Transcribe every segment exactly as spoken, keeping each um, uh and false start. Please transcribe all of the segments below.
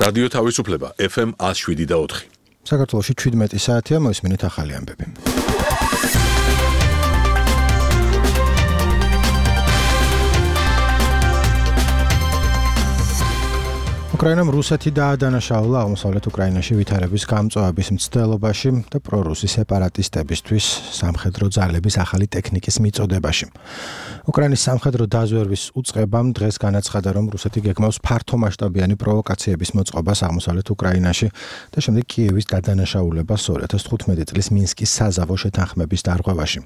რადიო თავისუფლება ეფ ემ one oh seven და four. საქართველოში შვიდმეტი საათია, მოისმინეთ ახალი ამბები. უკრაინამ რუსეთი დაადანაშაულა აღმოსავლეთ უკრაინაში ვითარების გამწვავების მცდელობაში და პრორუსი სეპარატისტებისთვის სამხედრო ძალების ახალი ტექნიკის მიწოდებაში. უკრაინის სამხედრო დაზვერვის უწყებამ დღეს განაცხადა, რომ რუსეთი გეგმავს ფართომასშტაბიანი პროვოკაციების მოწყობას აღმოსავლეთ უკრაინაში და შემდეგ კიევის გადანაშაულებას ორი ათას თხუთმეტი წლის მინსკის საზავო შეთანხმების დარღვევაში.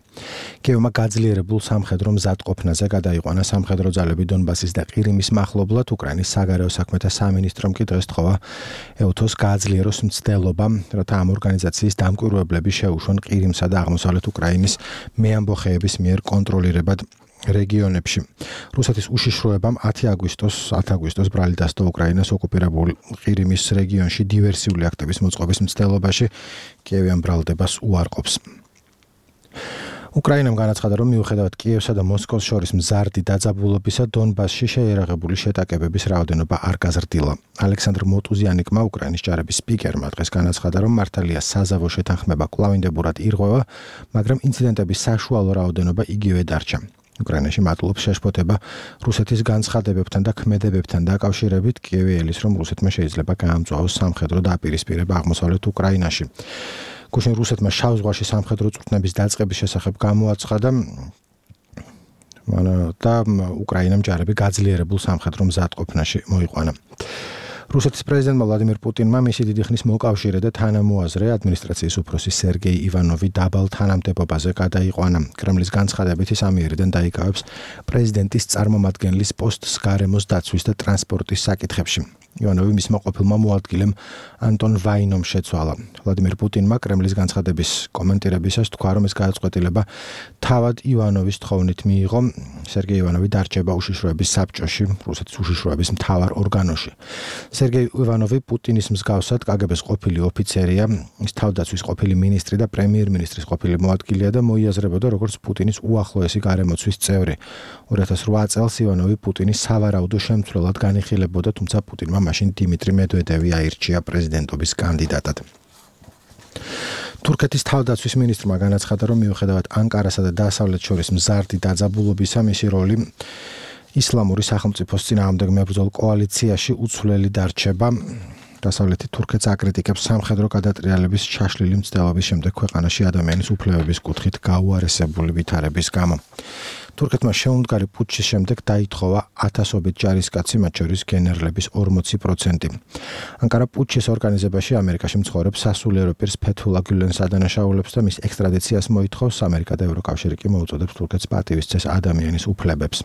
კიევმა გაძლიერებულ სამხედრო მზადყოფნაზე გადაიყვანა სამხედრო ძალები დონბასის და ყირიმის მახლობლად. უკრაინის საგარეო საქმეთა სამინისტრომ კი დღეს თხოვა ეუთოს გააძლიეროს მცდელობა, რათა ამ ორგანიზაციის დამკვირვებლები შეუშვან ყირიმსა და აღმოსავლეთ უკრაინის მეამბოხეების მიერ კონტროლირებად რეგიონებში. რუსეთის უშიშროებამ ათი აგვისტოს ბრალი დასდო უკრაინას ოკუპირებულ ყირიმის რეგიონში დივერსიული აქტების მოწყობის მცდელობაში. კიევი ამ ბრალდებას უარყოფს. უკრაინამ განაცხადა, რომ მიუხედავად კიევსა და მოსკოვს შორის მზარდი დაძაბულობისა, დონბასში შეიარაღებული შეტაკებების რაოდენობა არ გაზრდილა. ალექსანდრ მოტუზიანიკმა, უკრაინის ჯარების სპიკერმა დღეს განაცხადა, რომ მართალია საზავო შეთანხმება კვლავინდებურად ირღვევა, მაგრამ ინციდენტების საშუალო რაოდენობა იგივე დარჩა. უკრაინაში მატლობს შეშფოთება რუსეთის განცხადებებთან და ქმედებებთან დაკავშირებით. კიევი ელის, რომ რუსეთმა შეიძლება გაამწვავოს სამხედრო დაპირისპირება აღმოსავლეთ უკრაინაში. გუშინ რუსეთმა შავ ზღვაში სამხედრო წვრთნების დაწყების შესახებ გამოაცხადა და უკრაინამ ჯარები გაძლიერებულ სამხედრო მზადყოფნაში მოიყვანა. რუსეთის პრეზიდენტმა ვლადიმირ პუტინმა მისი დიდი ხნის მოკავშირე და თანამოაზრე ადმინისტრაციის უფროსი სერგეი ივანოვი დაბალ თანამდებობაზე გადაიყვანა. კრემლის განცხადებით ის ამიერიდან დაიკავებს პრეზიდენტის წარმომადგენლის პოსტს გარემოს დაცვის და ტრანსპორტის საკითხებში. ივანოვი მისმა ყოფილმა მოადგილემ ანტონ ვაინომ შეცვალა. ვლადიმირ პუტინმა კრემლის განცხადების კომენტირებისას თქვა, რომ ეს გადაწყვეტილება თავად ივანოვის თხოვნით მიიღო. სერგეი ივანოვი დარჩება უშიშროების საბჭოში, რუსეთის უშიშროების მთავარ ორგანოში. სერგეი ივანოვი პუტინის მსგავსად კაგებეს ყოფილი ოფიცერია, ის თავდაცვის ყოფილი მინისტრი და პრემიერ-მინისტრის ყოფილი მოადგილეა და მოიაზრებოდა როგორც პუტინის უახლოესი გარემოცვის წევრი. ორი ათას რვა წელს ივანოვი პუტინის სავარაუდო შემცვლელად განიხილებოდა, თუმცა პუტინმა მაშინ დიმიტრი მედვედევი აირჩია პრეზიდენტობის კანდიდატად. თურქეთის თავდაცვის მინისტრმა განაცხადა, რომ მიუხედავად ანკარასა და დასავლეთს შორის მზარდი დაძაბულობისა, მისი როლი ისლამური სახელმწიფოს წინააღმდეგ მებრძოლ კოალიციაში უცვლელი დარჩება. დასავლეთი თურქეთს აკრიტიკებს სამხედრო გადატრიალების ჩაშლილი მცდელობის შემდეგ ქვეყანაში ადამიანის უფლებების კუთხით გაუარესებული ვითარების გამო. თურქეთმა შეუმდგარი პუტჩის შემდეგ დაითხოვა ათასობით ჯარისკაცი, მათ შორის გენერლების ორმოცი პროცენტი. ანკარა პუტჩის ორგანიზებაში ამერიკაში მცხოვრებ სასულიერო პირს ფეთულა გულენს ადანაშაულებს და მის ექსტრადიციას მოითხოვს. ამერიკა და ევროკავშირი კი მოუწოდებს თურქეთს პატივისცეს ადამიანის უფლებებს.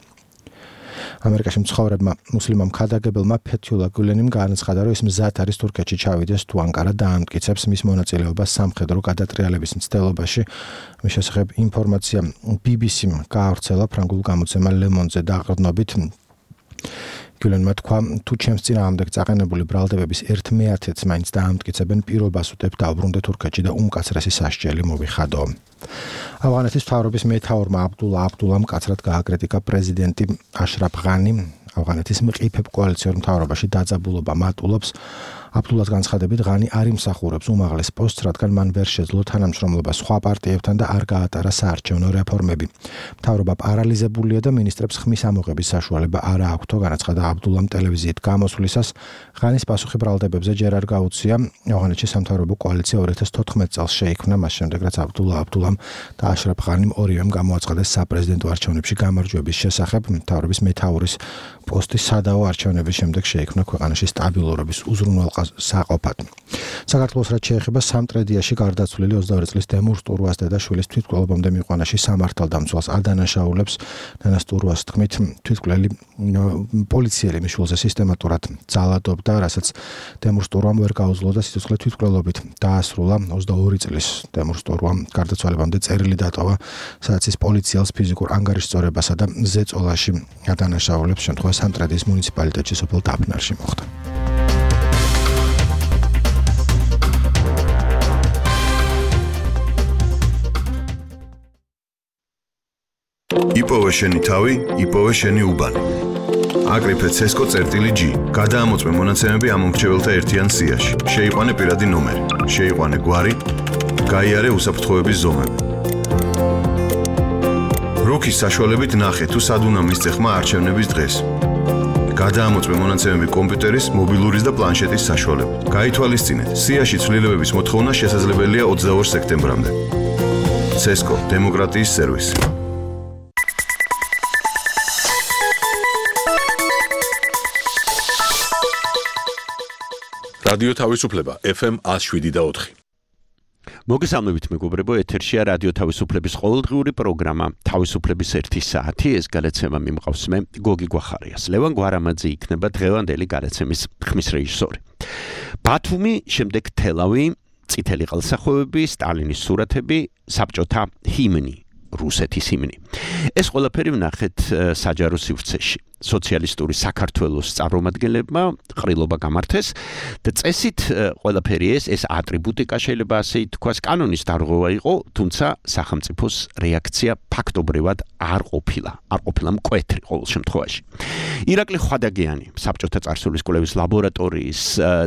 ამერიკაში მცხოვრებმა მუსლიმამ ქადაგებელმა ფეთულა გულენიმ განაცხადა, რომ ის მზად არის თურქეთში ჩავიდეს თუ ანკარა დაამტკიცებს მის მონაწილეობას სამხედრო გადატრიალების მცდელობაში. მის შესახებ ინფორმაცია ბი ბი სიმ გაავრცელა ფრანგულ გამოცემა Le Monde-ზე დაყრდნობით. გულენმა თქვა, თუ ჩემს წინააღმდეგ წაყენებული ბრალდებების ერთ მეათედს მაინც დაამტკიცებენ, პირობას უდებ დავბრუნდე თურქეთში და უმკაცრესი სასჯელი მოვიხადო. ავღანეთის მთავრობის მეთაურმა აბდულა აბდულამ მკაცრად გააკრიტიკა პრეზიდენტი აშრაფ ღანი. ავღანეთის მყიფებ კოალიციურ მთავრობაში დაძაბულობა მატულობს. აბდულას განცხადებით, ღანი არ იმსახურებს უმაღლეს პოსტს, რადგან მან ვერ შეძლო თანამშრომლობა სხვა პარტიებთან და არ გაატარა საარჩევნო რეფორმები. მთავრობა პარალიზებულია და მინისტრებს ხმის ამოღების საშუალება არ აქვთო, განაცხადა აბდულამ ტელევიზიით გამოსვლისას. ღანის პასუხი ბრალდებებზე ჯერ არ გაუწია. ავღანეთში სამთავრობო კოალიცია ორი ათას თოთხმეტ წელს შეიქმნა, მას შემდეგ რაც აბდულა აბდულამ და აშრაფ ღანიმ ორივემ გამოაცხადეს საპრეზიდენტო არჩევნებში გამარჯვების შესახებ. მთავრობის მეთაურის პოსტის სადავო არჩევნების შემდეგ შეიქმნა ქვეყანაში სტაბილურობის უზრუნველსაყოფად. საქართველოს რაც შეეხება სამტრედიაში გარდაცვლილი ოცდაორი წლის დემურ სტურვას დედაშვილის თვითმკვლელობამდე მიყვანაში სამართალდამცველს ადანაშაულებს. ნანა სტურვას თქმით, თვითმკვლელი პოლიციელი მიშულზე სისტემატურად ძალადობდა, რასაც დემურ სტურვამ ვერ გაუძლო და სიცოცხლე თვითმკვლელობით დაასრულა. ოცდაორი წლის დემურ სტურვამ გარდაცვალებამდე წერილი დატოვა, სადაც ის პოლიციელს ფიზიკურ ანგარიშწორებასა და ზეწოლაში ადანაშაულებს. შემთხვევა სამტრედის მუნიციპალიტეტში სოფელ დაფნარში მოხდა. იპოვე შენი თავი, იპოვე შენი უბანი. აკრიფე ცესკო წერტილი G. გადაამოწმე მონაცემები ამ მომრჩეველთა ერთიან სიაში. შეიყვანე პირადი ნომერი. შეიყვანე გვარი. გაიარე უსაფრთხოების ზომები. როქის საშუალებით ნახე თუ სად უნდა მისცე ხმა არჩევნების დღეს. გადაამოწმე მონაცემები კომპიუტერის, მობილურის და პლანშეტის საშუალებით. გაითვალისწინეთ, სიაში ცვლილებების მოთხოვნა შესაძლებელია ოცდაორ სექტემბრამდე. ცესკო დემოკრატიის სერვისი. რადიო თავისუფლება F M one oh seven და four. მოგესალმებით მეგობრებო, ეთერშია რადიო თავისუფლების ყოველდღიური პროგრამა თავისუფლების ერთი საათი. ეს გადაცემა მიმყავს მე გოგი გვახარიას. ლევან გვარამაძე იქნება დღევანდელი გადაცემის ხმის რეჟისორი. ბათუმი, შემდეგ თელავი, წითელი ყელსახვევები, სტალინის სურათები, საბჭოთა ჰიმნი, რუსეთის ჰიმნი. ეს ყველაფერი ვნახეთ საჯარო სივრცეში. სოციალისტური საქართველოს წარმომადგენლებმა ყრილობა გამართეს და წესით ყველაფერი ეს ეს ატრიბუტიკა შეიძლება ასე ითქვას კანონის დარღვევა იყო, თუმცა სახელმწიფოს რეაქცია ფაქტობრივად არ ყოფილა, არ ყოფილა მკვეთრი ყოველ შემთხვევაში. ირაკლი ხვადაგიანი, საბჭოთა წარსულის კვლევის ლაბორატორიის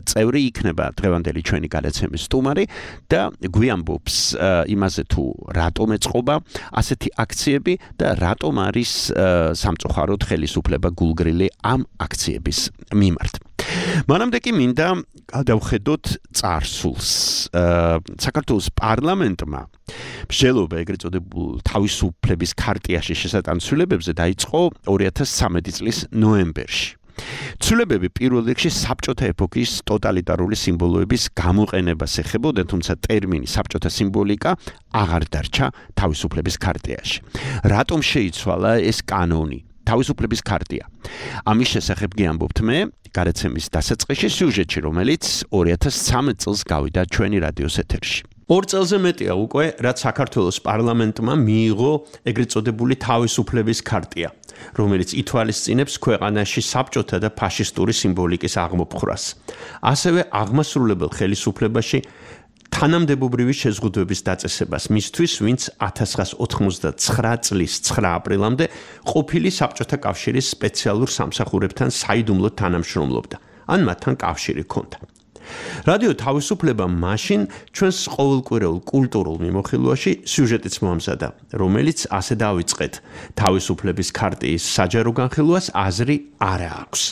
წევრი იქნება დღევანდელი ჩვენი გადაცემის სტუმარი და გვიამბობს იმაზე თუ რატომ ეწყობა ასეთი აქციები და რატომ არის სამწუხაროდ ხელისუფლება გულგრილი ამ აქციების მიმართ. მანამდე კი მინდა გადავხედოთ წარსულს. საქართველოს პარლამენტმა მსჯელობა ეგრეთ წოდებულ თავისუფლების ქარტიაში შესატანცვლებებზე დაიწყო ორი ათას სამი წლის ნოემბერში. ცვლილებები პირველ რიგში საბჭოთა ეპოქის ტოტალიტარული სიმბოლოების გამოყენებას ეხებოდა, თუმცა ტერმინი საბჭოთა სიმბოლიკა აღარ დარჩა თავისუფლების ქარტიაში. რატომ შეიცვალა ეს კანონი? თავისუფლების ქარტია. ამის შესახებ გიამბობთ მე გადაცემის დასაწყისში სიუჟეტში, რომელიც ორი ათას სამი წელს გავიდა ჩვენი რადიოს ეთერში. ორ წელზე მეტია უკვე, რაც საქართველოს პარლამენტმა მიიღო ეგრეთ წოდებული თავისუფლების ქარტია, რომელიც ითვალისწინებს ქვეყანაში საბჭოთა და ფაშისტური სიმბოლიკის აღმოფხვრას. ასევე აღმასრულებელ ხელისუფლებაში თანამდებობრივი შეზღუდვების დაწესებას მისთვის, ვინც ათას ცხრაას ოთხმოცდაცხრა წლის ცხრა აპრილამდე ყოფილი საბჭოთა კავშირის სპეციალურ სამსახურებთან საიდუმლოდ თანამშრომლობდა, ან მათთან კავშირი ჰქონდა. რადიო თავისუფლება მაშინ ჩვენს ყოველკვირეულ კულტურულ მიმოხილვაში სიუჟეტიც მოამზადა, რომელიც ასე დავიწყეთ, თავისუფლების ქარტიის საჯარო განხილვას აზრი არ აქვს.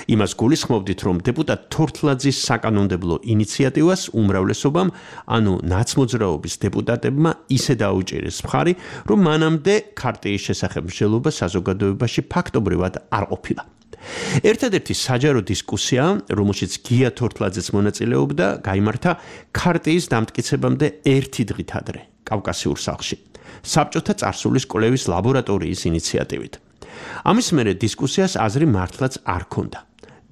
იმას გულისხმობდით, რომ დეპუტატ თორთლაძის საკანონმდებლო ინიციატივას უმრავლესობამ, ანუ ნაცმოძრაობის დეპუტატებმა ისე დაუჭირეს მხარი, რომ მანამდე ქარტიის შესახებ მსჯელობა საზოგადოებაში ფაქტობრივად არ ყოფილა. ერთადერთი საჯარო დისკუსია, რომელშიც გია თორთლაძეც მონაწილეობდა, გაიმართა ქარტიის დამტკიცებამდე ერთი დღით ადრე, კავკასიურ სახლში, საბჭოთა წარსულის კვლევის ლაბორატორიის ინიციატივით. ამის მერე დისკუსიას აზრი მართლაც არ ჰქონდა.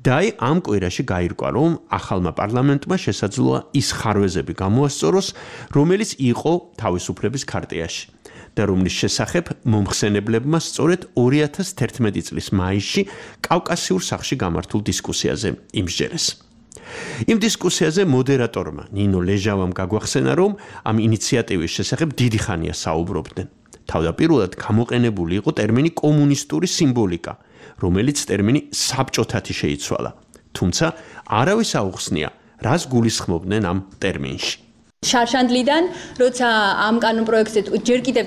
და აი ამ კვირაში გაირკვა, რომ ახალმა პარლამენტმა შესაძლოა ის ხარვეზები გამოასწოროს, რომელიც იყო თავისუფლების ქარტიაში და რომლის შესახებ მომხსენებლებმა სწორედ ორი ათას თერთმეტი წლის მაისში კავკასიურ სახლში გამართულ დისკუსიაზე იმსჯერეს. იმ დისკუსიაზე მოდერატორმა ნინო ლეჟავამ გაგვახსენა, რომ ამ ინიციატივის შესახებ დიდი ხანია საუბრობდნენ. თავდაპირველად გამოყენებული იყო ტერმინი კომუნისტური სიმბოლიკა, რომელიც ტერმინი საბჭოთათი შეიცვალა. თუმცა არავის აუხსნია, რას გულისხმობდნენ ამ ტერმინში. შარშანდლიდან, როცა ამ კანონ პროექტზე ჯერ კიდევ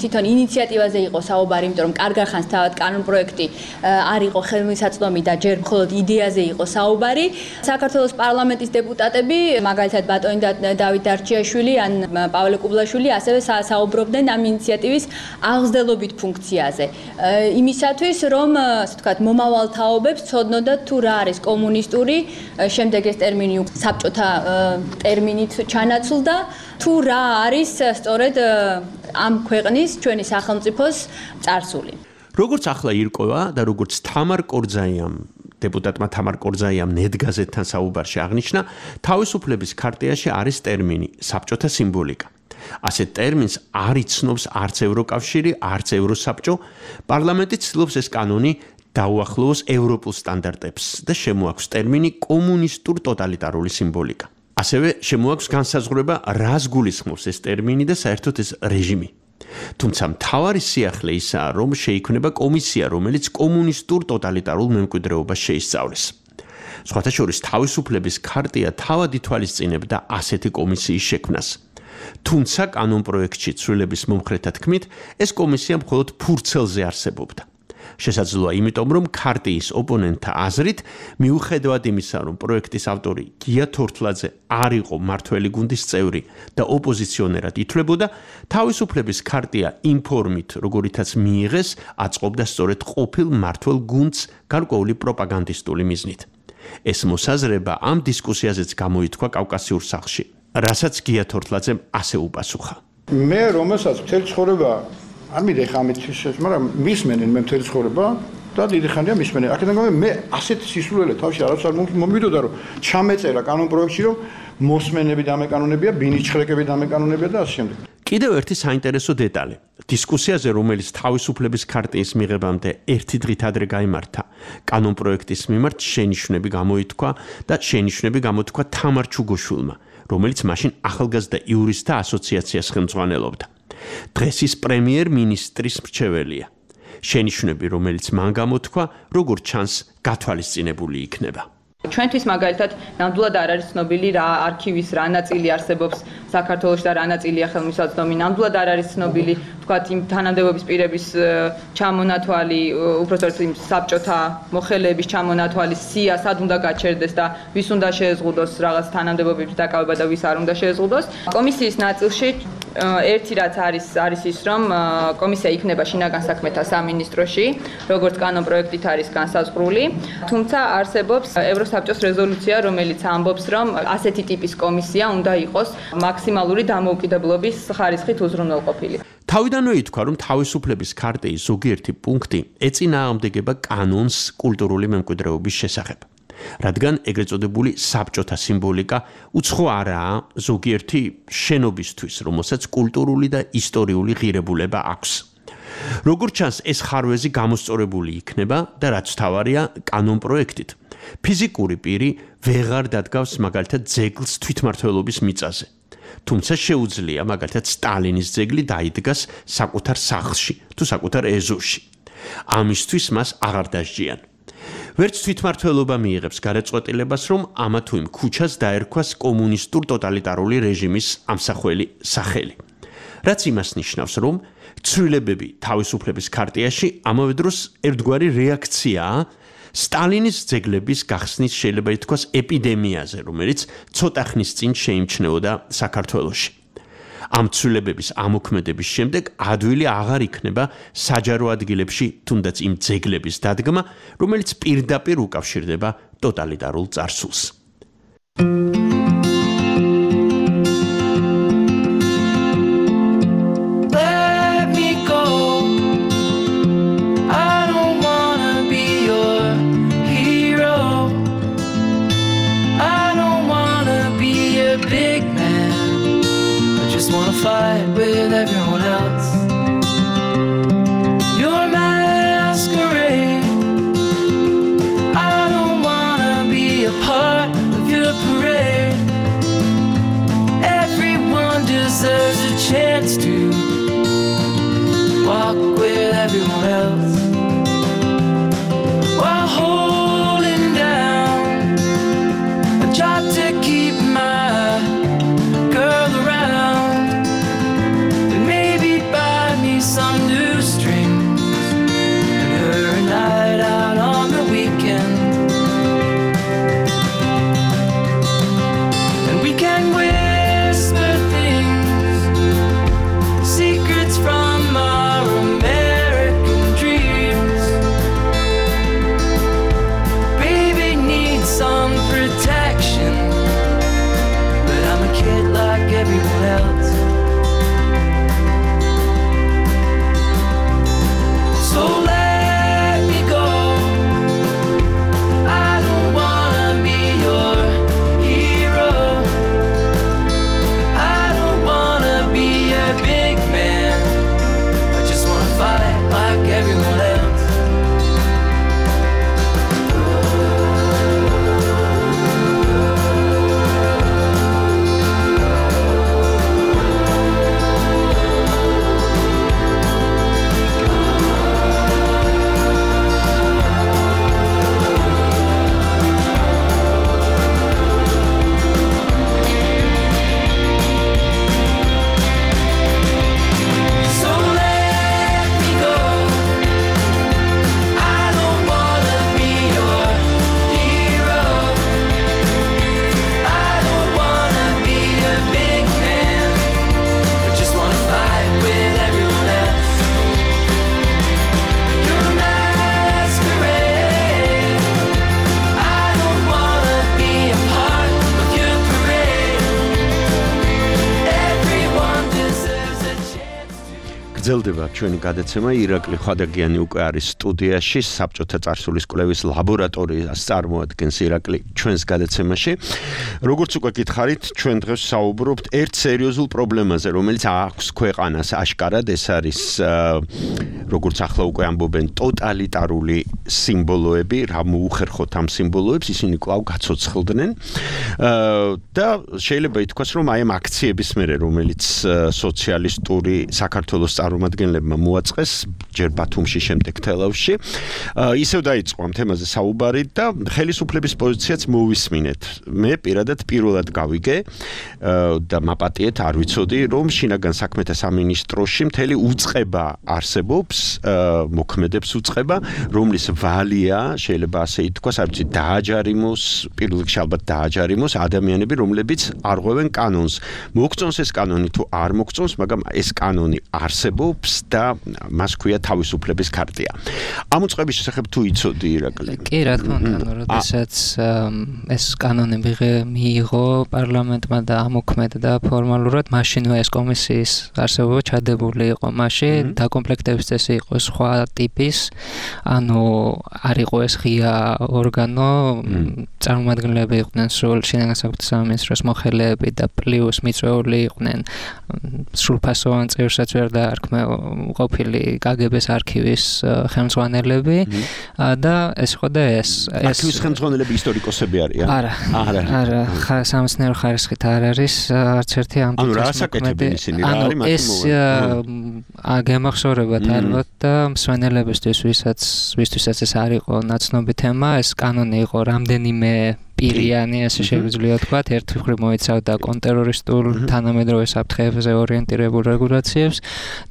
თვითონ ინიციატივაზე იყო საუბარი, იმიტომ რომ კარგ ხანს თავად კანონ პროექტი არ იყო ხელმისაწვდომი და ჯერ მხოლოდ იდეაზე იყო საუბარი. საქართველოს პარლამენტის დეპუტატები, მაგალითად ბატონი დავით დარჩიაშვილი ან პავლე კუბლაშვილი, ასევე საუბრობდნენ ამ ინიციატივის აღზრდელობით ფუნქციაზე. იმისათვის, რომ, ასე ვთქვათ, მომავალ თაობებს ცოდნოდათ თუ რა არის კომუნისტური, შემდეგ ეს ტერმინი საბჭოთა ტერმინით ჩანა ნაცვლდა თუ რა არის სწორედ ამ ქვეყნის ჩვენი სახელმწიფოს წარსული. როგორც ახლა ირკვევა და როგორც თამარ კორძაიამ დეპუტატმა თამარ კორძაიამ ნედგაზეთთან საუბარში აღნიშნა, თავისუფლების ქარტიაში არის ტერმინი საბჭოთა სიმბოლიკა. ასეთ ტერმინს არ იცნობს არც ევროკავშირი, არც ევროსაბჭო. პარლამენტი ცდილობს ეს კანონი დაუახლოვოს ევროპულ სტანდარტებს და შემოაქვს ტერმინი კომუნისტურ ტოტალიტარული სიმბოლიკა. ასევე შემოაქვს განსაზღვრება, რას გულისხმობს ეს ტერმინი და საერთოდ ეს რეჟიმი. თუმცა მთავარი სიახლე ისაა, რომ შეიქმნება კომისია, რომელიც კომუნისტურ ტოტალიტარულ მემკვიდრეობას შეისწავლის. სხვათა შორის თავისუფლების ქარტია თავად ითვალისწინებდა ასეთი კომისიის შექმნას. თუმცა კანონპროექტში ცვლილების მომხრეთა თქმით, ეს კომისია მხოლოდ ფურცელზე არსებობდა. შესაძლოა იმიტომ, რომ ქარტიის ოპონენტთა აზრით, მიუხედავად იმისა, რომ პროექტის ავტორი გია თორთლაძე არ იყო მმართველი გუნდის წევრი და ოპოზიციონერად ითვლებოდა, თავისუფლების ქარტია იმ ფორმით, როგორითაც მიიღეს, აწყობდა სწორედ ყოფილ მმართველ გუნდს გარკვეული პროპაგანდისტული მიზნით. ეს მოსაზრება ამ დისკუსიაზეც გამოითქვა კავკასიურ სახლში, რასაც გია თორთლაძემ ასე უპასუხა. მე რომელსაც მთელი ცხოვრება არ მიდე ხა ამით შეშ, მაგრამ მისმენენ მე მთელი ცხოვრება და დიდი ხანია მისმენენ. აქედან გამომდინარე მე ასეთი სისულელე თავში არც არ მომიდოდა, რომ ჩამეწერა კანონპროექტში, რომ მოსმენები დამეკანონებია, ბინიჩხრეკები დამეკანონებია და ასე შემდეგ. კიდევ ერთი საინტერესო დეტალი. დისკუსიაზე, რომელიც თავისუფლების ქარტიის მიღებამდე ერთი დღით ადრე გაიმართა, კანონპროექტის მიმართ შენიშვნები გამოითქვა და შენიშვნები გამოთქვა თამარ ჩუგოშვილმა, რომელიც მაშინ ახალგაზრდა იურისტთა ასოციაციას ხელმძღვანელობდა. დღეს ის პრემიერ-მინისტრის მრჩეველია. შენიშვნები, რომელიც მან გამოთქვა, როგორც ჩანს, გათვალისწინებული იქნება. ჩვენთვის მაგალითად ნამდვილად არ არის ცნობილი რა არქივის რა ნაწილი არსებობს საქართველოში და რა ნაწილია ხელმისაწვდომი. ნამდვილად არ არის ცნობილი თქვათ იმ თანამდებობის პირების ჩამონათვალი, უпростоროდ იმ საბჭოთა მოხელეების ჩამონათვალი სია სად უნდა გაჩერდეს და ვის უნდა შეეზღუდოს რაღაც თანამდებობების დაკავება და ვის არ უნდა შეეზღუდოს. კომისიის ნაწილში ერთი რაც არის არის ის, რომ კომისია იქნება შინაგან საქმეთა სამინისტროში, როგორც კანონპროექტით არის განსაზღვრული, თუმცა არსებობს ევროსაბჭოს რეზოლუცია, რომელიც ამბობს, რომ ასეთი ტიპის კომისია უნდა იყოს მაქსიმალური დამოუკიდებლობის ხარისხით უზრუნველყოფილი. თავიდანვე ითქვა, რომ თავისუფლების ქარტიის ზოგიერთი პუნქტი ეწინააღმდეგება კანონს კულტურული მემკვიდრეობის შესახებ. რადგან ეგრეთ წოდებული საბჭოთა სიმბოლიკა უცხო არაა ზოგიერთი შენობისთვის, რომელსაც კულტურული და ისტორიული ღირებულება აქვს. როგორც ჩანს, ეს ხარვეზი გამოსწორებული იქნება და რაც თავარია კანონპროექტით, ფიზიკური პირი ვეღარ დადგავს მაგალითად ძეგლს თვითმმართველობის მიწაზე. თუმცა შეუძლია მაგალითად სტალინის ძეგლი დაიდგას საკუთარ სახლში თუ საკუთარ ეზოში. ამისთვის მას აღარ დასჯიან. ვერც თვითმმართველობა მიიღებს გადაწყვეტილებას, რომ ამა თუ იმ ქუჩას დაერქვას კომუნისტურ ტოტალიტარული რეჟიმის ამსახველი სახელი. რაც იმას ნიშნავს, რომ ცვლილებები თავისუფლების ქარტიაში ამავე დროს ერთგვარი რეაქციაა სტალინის ძეგლების გახსნის შეიძლება ითქვას ეპიდემიაზე, რომელიც ცოტა ხნის წინ შეიმჩნეოდა საქართველოში. ამ ცვლილებების ამოქმედების შემდეგ ადვილი აღარ იქნება საჯარო ადგილებში თუნდაც იმ ძეგლების დადგმა, რომელიც პირდაპირ უკავშირდება ტოტალიტარულ წარსულს. Fight with everyone else. Your masquerade. I don't wanna be a part of your parade. Everyone deserves a chance to walk with everyone else while holding down a job to keep my girl around. Some new strings and her a night out on the weekend, and we can whisper things, secrets from our American dream. გრძელდება ჩვენი გადაცემა. ირაკლი ხვადაგიანი უკვე არის სტუდიაში, საბჭოთა წარსულის კვლევის ლაბორატორიას წარმოადგენს ირაკლი ჩვენს გადაცემაში. როგორც უკვე გითხარით, ჩვენ დღეს საუბრობთ ერთ სერიოზულ პრობლემაზე, რომელიც აქვს ქვეყანას აშკარად, ეს არის როგორც ახლა უკვე ამბობენ ტოტალიტარული სიმბოლოები, რა მოუხერხოთ ამ სიმბოლოებს, ისინი კვლავ გაცოცხლდნენ. და შეიძლება ითქვას, რომ აი ამ აქციების მერე, რომელიც სოციალისტური საქართველოს წარმომადგენლებმა მოაწყეს ჯერ ბათუმში, შემდეგ თელავში, ისევ დაიწყო ამ თემაზე საუბარი და ხელისუფლების პოზიციაც მოვისმინეთ. მე პირადად პირველად გავიგე და მაპატიეთ, არ ვიცოდი, რომ შინაგან საქმეთა სამინისტროში მთელი უწყება არსებობს, მოქმედებს უწყება, რომლის ვალია, შეიძლება ასე ითქვას, არ ვიცი, დააჯარიმოს, პირველ რიგში ალბათ დააჯარიმოს ადამიანები, რომლებიც არღვევენ კანონს. მოგწონს ეს კანონი თუ არ მოგწონს, მაგრამ ეს კანონი არსებობს და მას ქვია თავისუფლების ქარტია. ამ უწყების შესახებ თუ იცოდი ირაკლი? კი, რა თქმა უნდა, როდესაც ეს კანონი მიიღო პარლამენტმა და ამოქმედა ფორმალურად, მაშინვე ეს კომისიის არსებობა ჩადებული იყო. მაშინ დაკომპლექტების წესი იყო სხვა ტიპის, ანუ არ იყო ეს ღია ორგანო, წარმომადგენლები იყვნენ სულ შინაგან საქმეთა სამინისტროს მოხელეები და პლუს მიწვეული იყვნენ სრულფასოვან წევრსაც ვერ დაარქმე ყოფილი კაგების არქივის ხელმძღვანელები და ეს ხო და ეს არქივის ხელმძღვანელები ისტორიკოსები არიან? არა, არა, არა, სამეცნიერო ხარისხით არ არის არც ერთი ამ ანუ რა საკეთებენ ისინი, რა არის მათი მოვალე? გემახსოვრებათ ალბათ და მსვენელებისთვის, ვისაც ვისთვისაც ეს არ იყო ნაცნობი თემა, ეს კანონი იყო რამდენიმე პირიანი, ასე შეგვიძლია ვთქვათ, ერთი მხრივ მოიცავდა კონტერორისტულ თანამედროვე საფრთხეებზე ორიენტირებულ რეგულაციებს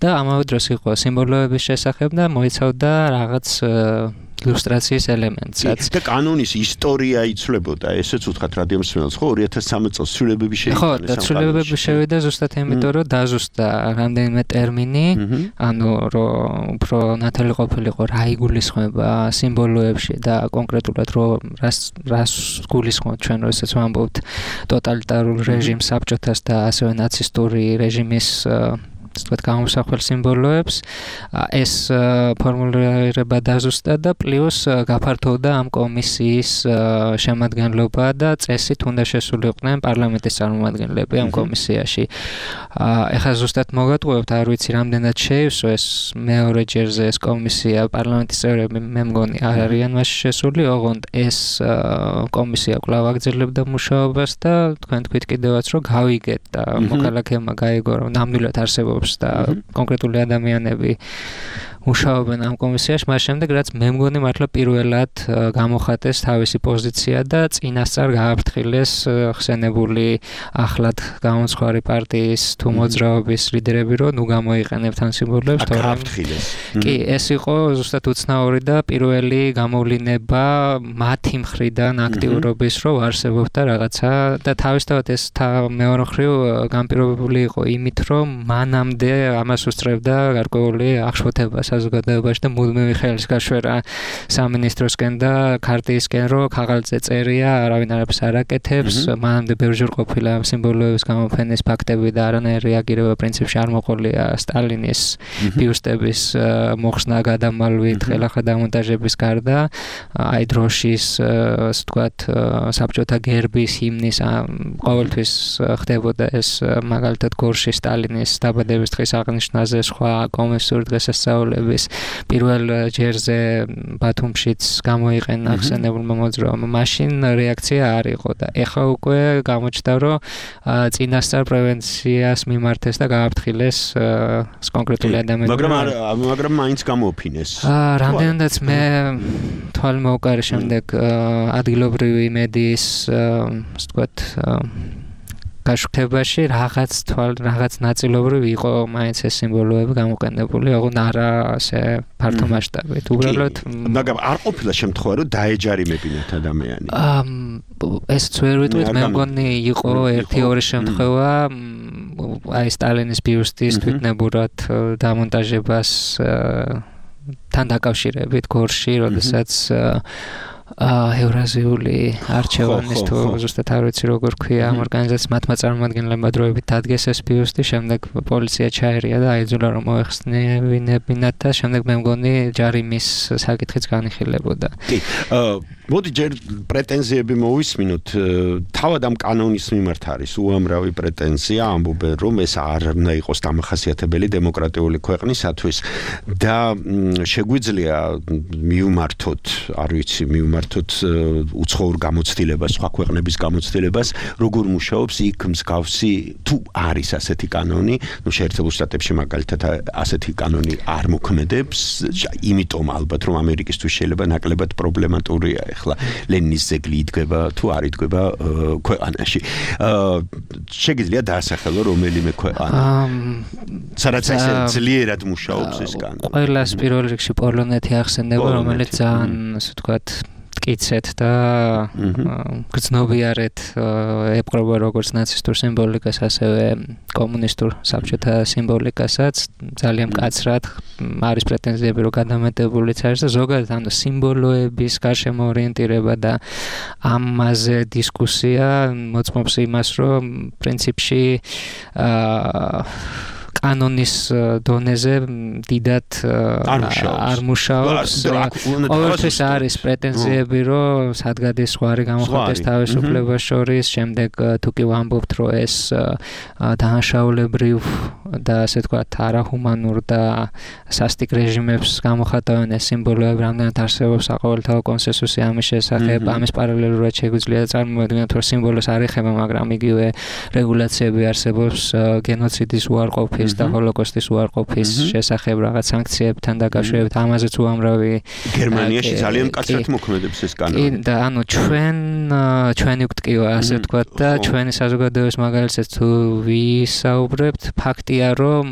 და ამავე დროს იყო სიმბოლოების შესახებ და მოიცავდა რაღაც ილუსტრაციის ელემენტსაც. და კანონის ისტორია იცვლებოდა, ესეც უთხრათ რადიო მსმენელს, ხო, ორი ათას სამი წელს ცვლილებები შევიდა. ხო, და ცვლილებები შევიდა ზუსტად იმიტომ, რომ დაზუსტა რამდენიმე ტერმინი, ანუ რომ უფრო ნათელი ყოფილიყო რა იგულისხმება სიმბოლოებში და კონკრეტულად რომ რას რას გულისხმობთ ჩვენ, როდესაც ვამბობთ ტოტალიტარულ რეჟიმს, საბჭოთას და ასევე ნაცისტური რეჟიმის ვთქვათ, გამოსახვალ სიმბოლოებს, ეს ფორმულირება დაზუსტა და პლუს გაფართოვდა ამ კომისიის შემადგენლობა და წესით უნდა შესულიყვნენ პარლამენტის წარმომადგენლები ამ კომისიაში. ეხლა ზუსტად მოგატყუებთ, არ ვიცი რამდენად შეივსო ეს მეორე ჯერზე ეს კომისია, პარლამენტის წევრები მე მგონი არ არიან მასში შესული, ოღონდ ეს კომისია კვლავ აგრძელებდა მუშაობას და თქვენ თქვით კიდევაც, რომ გავიგეთ და მოქალაქეებმა გაიგო, რომ ნამდვილად არსებობს და კონკრეტული ადამიანები მუშაობენ ამ კომისიაში, მას შემდეგ რაც მე მგონი მართლა პირველად გამოხატეს თავისი პოზიცია და წინასწარ გააფრთხილეს ხსენებული ახლად გამომცხვარი პარტიის თუ მოძრაობის ლიდერები, რომ ნუ გამოიყენებთ ამ სიმბოლოებს, თორემ კი, ეს იყო ზუსტად უცნაური და პირველი გამოვლინება მათი მხრიდან აქტიურობის, რომ არსებობდა რაღაცა და თავისთავად ეს მეორე მხრივ განპირობებული იყო იმით, რომ მანამდე ამას უსწრებდა გარკვეული აღშფოთება საზოგადოებაში და მუდმივი ხელის გაშვერა სამინისტროსკენ და ქარტიისკენ, რომ ქაღალდზე წერია, არავინ არაფერს არ აკეთებს, მანამდე ბევრჯერ ყოფილა სიმბოლოების გამოფენის ფაქტები და არანაირი რეაგირება პრინციპში არ მოყოლია სტალინის ბიუსტების მოხსნა გადამალვით, ხელახლა დამონტაჟების გარდა, აი დროშის, ასე ვთქვათ, საბჭოთა გერბის, ჰიმნის ყოველთვის ხდებოდა ეს მაგალითად გორში სტალინის დაბადების დღის აღნიშვნაზე, სხვა კომუნისტური დღესასწაულების პირველ ჯერზე ბათუმშიც გამოიყენა ხსენებულმა მოძრაობამ. მაშინ რეაქცია არ იყო და ეხლა უკვე გამოჩნდა, რომ წინასწარ პრევენციას მიმართეს და გააფრთხილეს კონკრეტული ადამიანები. მაგრამ მაგრამ მაინც გამოოფინეს. რამდენადაც მე თვალი მოუყარე შემდეგ ადგილობრივი მედიის, ასე ვთქვათ, გაშუქებაში რაღაც თვალ რაღაც ნაწილობრივ იყო მაინც ეს სიმბოლოები გამოყენებული, ოღონდ არა ასე ფართო მასშტაბით. უბრალოდ მაგრამ არ ყოფილა შემთხვევა, რომ დაეჯარიმებინათ ადამიანი. ესეც ვერ ვიტყვით, მე მგონი იყო ერთი ორი შემთხვევა, აი სტალინის ბიუსტის თვითნებურად დამონტაჟებას თან დაკავშირებით გორში, როდესაც ევრაზიული არჩევანის თუ ზუსტად არ ვიცი როგორ ქვია ამ ორგანიზაციას მათმა წარმომადგენლებმა დროებით დადგეს ეს ბიუსტი, შემდეგ პოლიცია ჩაერია და აიძულა რომ მოეხსნებინებინათ და შემდეგ მე მგონი ჯარიმის საკითხიც განიხილებოდა. კი, მოდი ჯერ პრეტენზიები მოვისმინოთ. თავად ამ კანონის მიმართ არის უამრავი პრეტენზია, ამბობენ რომ ეს არ უნდა იყოს დამახასიათებელი დემოკრატიული ქვეყნისათვის და შეგვიძლია მივმართოთ, არ ვიცი, მივმართოთ უცხოურ გამოცდილებას, სხვა ქვეყნების გამოცდილებას, როგორ მუშაობს იქ მსგავსი თუ არის ასეთი კანონი, ну შეერთებულ შტატებში მაგალითად ასეთი კანონი არ მოქმედებს, იმიტომ ალბათ რომ ამერიკისთვის შეიძლება ნაკლებად პრობლემატურია ახლა ლენინის ძეგლი იდგება თუ არ იდგება ქვეყანაში. შეგიძლია დაასახელო რომელიმე ქვეყანა. სადაც ესე ძლიერად მუშაობს ეს კანონი. ყველას პირველ რიგში პოლონეთი ახსენდება, რომელიც ძალიან ასე ვთქვათ მტკიცეთ და გრძნობიარეთ ეპყრობა როგორც ნაცისტურ სიმბოლიკას, ასევე კომუნისტურ საბჭოთა სიმბოლიკასაც, ძალიან მკაცრად არის პრეტენზიები რომ გადამეტებულიც არის და ზოგადად ანუ სიმბოლოების გარშემო ორიენტირება და ამაზე დისკუსია მოწმობს იმას, რომ პრინციპში კანონის დონეზე დიდად არ მუშაობს. ყოველთვის არის პრეტენზიები, რომ სადგადის სხვარი გამოხატეს თავისუფლებას შორის, შემდეგ თუ კი ვამბობთ, რომ ეს დანაშაულებრივ და ასე ვთქვათ არაჰუმანურ და სასტიკ რეჟიმებს გამოხატავენ ეს სიმბოლოები, რამდენად არსებობს საყოველთაო კონსენსუსი ამის შესახებ, ამის პარალელურად შეგვიძლია წარმოვიდგინოთ, რომ სიმბოლოს არ ეხება, მაგრამ იგივე რეგულაციები არსებობს გენოციდის უარყოფის და ჰოლოკოსტის უარყოფის შესახებ რაღაც სანქციებთან დაკავშირებით, ამაზეც უამრავი გერმანიაში ძალიან მკაცრად მოქმედებს ეს კანონი. და ანუ ჩვენ ჩვენი ვტკივა ასე ვთქვათ და ჩვენი საზოგადოების მაგალითად თუ ვისაუბრებთ, ფაქტია რომ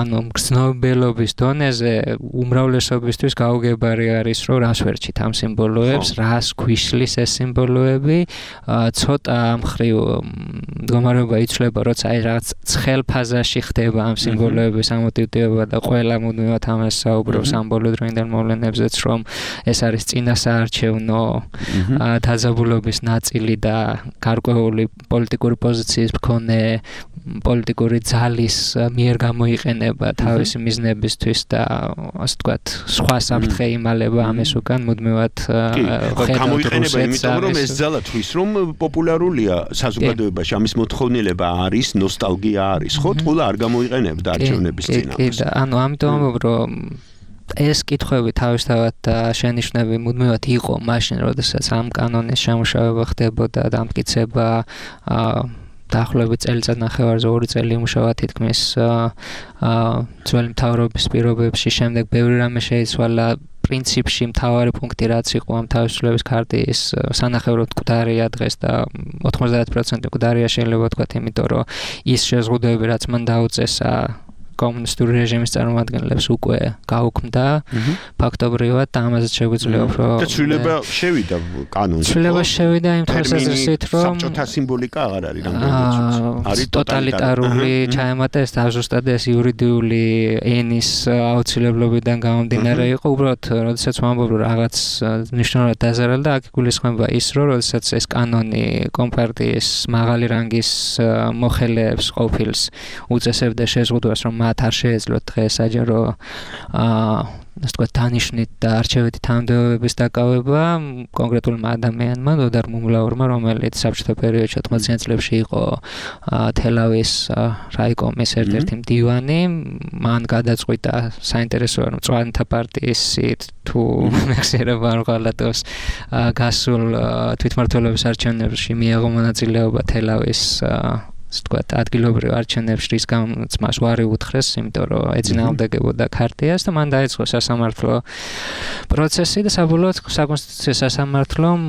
ანუ გრძნობელობის დონეზე უმრავლესობისთვის გაუგებარი არის რომ რას ვერჩით ამ სიმბოლოებს, რას გვიშლის ეს სიმბოლოები, ცოტა მხრივ მდგომარეობა იცვლება, როცა აი რაღაც ცხელ ფაზაში ხდება ამ სიმბოლოების ამოტივტივება და ყველა მუდმივად ამას საუბრობს ამ ბოლოდროინდელ მოვლენებზეც, რომ ეს არის წინასაარჩევნო დაძაბულობის ნაწილი და გარკვეული პოლიტიკური პოზიციის მქონე პოლიტიკური ძალის მიერ გამოიყენება თავისი მიზნებისთვის და ასე ვთქვათ, სხვა საფრთხე იმალება ამის უკან მუდმივად გამოიყენება, იმიტომ რომ ეს ძალა თვის რომ პოპულარულია საზოგადოებაში, ამის მოთხოვნილება არის, ნოსტალგია არის, ხო? ყველა არ გამოიყენებდა არჩევნების წინააღმდეგ. კი, და ანუ ამიტომ ამბობ, რომ ეს კითხვები თავისთავად და შენიშვნები მუდმივად იყო მაშინ, როდესაც ამ კანონის შემუშავება ხდებოდა და დამტკიცება დაახლოებით წელიწად ნახევარზე ორი წელი იმუშავა თითქმის ძველი მთავრობის პირობებში, შემდეგ ბევრი რამე შეიცვალა. პრინციპში მთავარი პუნქტი რაც იყო ამ თავისუფლების ქარტიის სანახევროდ მკვდარია დღეს და ოთხმოცდაათ პროცენტი მკვდარია შეიძლება ვთქვათ, იმიტომ რომ ის შეზღუდვები რაც მან დაუწესა კომუნისტური რეჟიმის წარმომადგენლებს უკვე გაუქმდა ფაქტობრივად და ამაზე შეგვიძლია უფრო და ცვლილება შევიდა კანონში. ცვლილება შევიდა იმ თვალსაზრისით, რომ საბჭოთა სიმბოლიკა აღარ არის რამდენადაც არის ტოტალიტარული ჩაემატა ეს ზუსტად ეს იურიდიული ენის აუცილებლობიდან გამომდინარე იყო, უბრალოდ როდესაც ვამბობ რომ რაღაც მნიშვნელოვნად დაზარალდა, აქ გულისხმება ის, რომ როდესაც ეს კანონი კომპარტიის მაღალი რანგის მოხელეებს ყოფილს უწესებდა შეზღუდვას, რომ მათ არ შეეძლოთ დღეს საჯარო აა ასე ვთქვათ დანიშნით და არჩევითი თანამდებობების დაკავება კონკრეტულმა ადამიანმა, დოდარ მუმლაურმა, რომელიც საბჭოთა პერიოდში ოთხმოციან წლებში იყო თელავის რაიკომის ერთ-ერთი მდივანი, მან გადაწყვიტა საინტერესოა რომ მწვანეთა პარტიის თუ მეხსიერება არ ღალატოს გასულ თვითმმართველობის არჩევნებში მიიღო მონაწილეობა თელავის ვთქვათ, ადგილობრივ არჩევნებში, რის გამოც მას უარი უთხრეს, იმიტომ რომ ეწინააღმდეგებოდა ქარტიას და მან დაიწყო სასამართლო პროცესი და საბოლოოდ საკონსტიტუციო სასამართლომ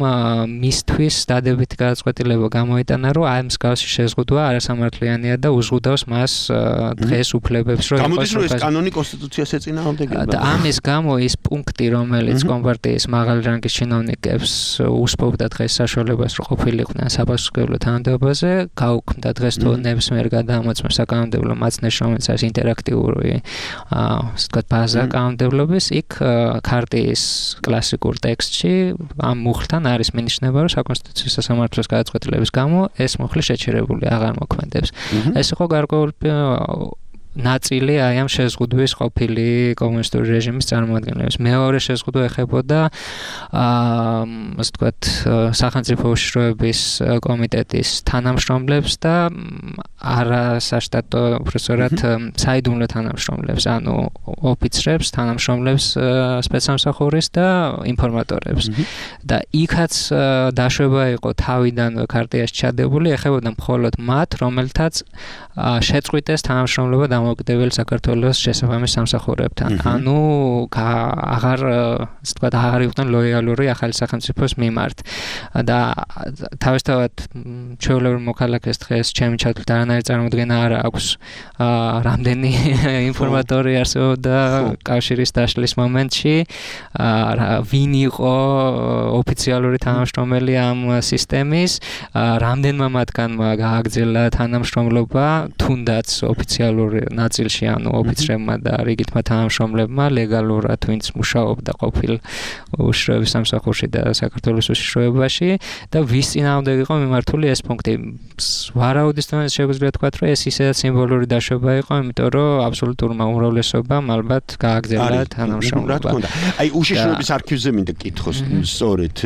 მისთვის დადებითი გადაწყვეტილება გამოიტანა, რომ აი მსგავსი შეზღუდვა არასამართლიანია და უზღუდავს მას დღეს უფლებებს, რომ გამოდის, რომ ეს კანონი კონსტიტუციას ეწინააღმდეგება. და ამის გამო ის პუნქტი, რომელიც კომპარტიის მაღალი რანგის ჩინოვნიკებს უსპოვდა დღეს საშუალებას, რომ ყოფილიყვნენ საპასუხებლო თანამდებობაზე, გაუქმდა დღეს გადამოწმეს თუ ნებისმიერ გადამოწმეს საკანონმდებლო მაცნეს, რომელიც არის ინტერაქტიული ასე ვთქვათ ბაზა კანონმდებლობის, იქ ქარტიის კლასიკურ ტექსტში ამ მუხლთან არის მინიშნება, რომ საკონსტიტუციო სასამართლოს გადაწყვეტილების გამო ეს მუხლი შეჩერებული აღარ მოქმედებს. ეს იყო გარკვეული ნაწილი აი ამ შეზღუდვის ყოფილი კომუნისტური რეჟიმის წარმოადგენლებს. მეორე შეზღუდვა ეხებოდა აა ასე ვთქვათ სახელმწიფო უშიშროების კომიტეტის თანამშრომლებს და არასაშტატო უბრალოდ საიდუმლო თანამშრომლებს, ანუ ოფიცრებს, თანამშრომლებს სპეცსამსახურის და ინფორმატორებს. და იქაც დაშვება იყო თავიდანვე ქარტიაში ჩადებული, ეხებოდა მხოლოდ მათ, რომელთაც შეწყვიტეს თანამშრომლობა დამოუკიდებელი საქართველოს შესაბამის სამსახურებთან. ანუ აღარ ასე ვთქვათ აღარ იყვნენ ლოიალური ახალი სახელმწიფოს მიმართ. და თავისთავად ჩვეულებრივ მოქალაქეს დღეს ჩემი ჩათვლით არანაირი წარმოდგენა არ აქვს რამდენი ინფორმატორი არსებობდა კავშირის დაშლის მომენტში, ვინ იყო ოფიციალური თანამშრომელი ამ სისტემის, რამდენმა მათგანმა გააგრძელა თანამშრომლობა, თუნდაც ოფიციალური ნაწილში, ანუ ოფიცრებმა და რიგითმა თანამშრომლებმა ლეგალურად ვინც მუშაობდა ყოფილ უშიშროების სამსახურში და საქართველოს უშიშროებაში და ვის წინააღმდეგ იყო მიმართული ეს პუნქტი. ვარაუდის თქმით შეგვიძლია თქვა, რომ ეს ისედაც სიმბოლური დაშვება იყო, იმიტომ რომ აბსოლუტურმა უმრავლესობამ ალბათ გააგრძელა თანამშრომლობა. აი უშიშროების არქივზე მინდა კითხოს, სწორედ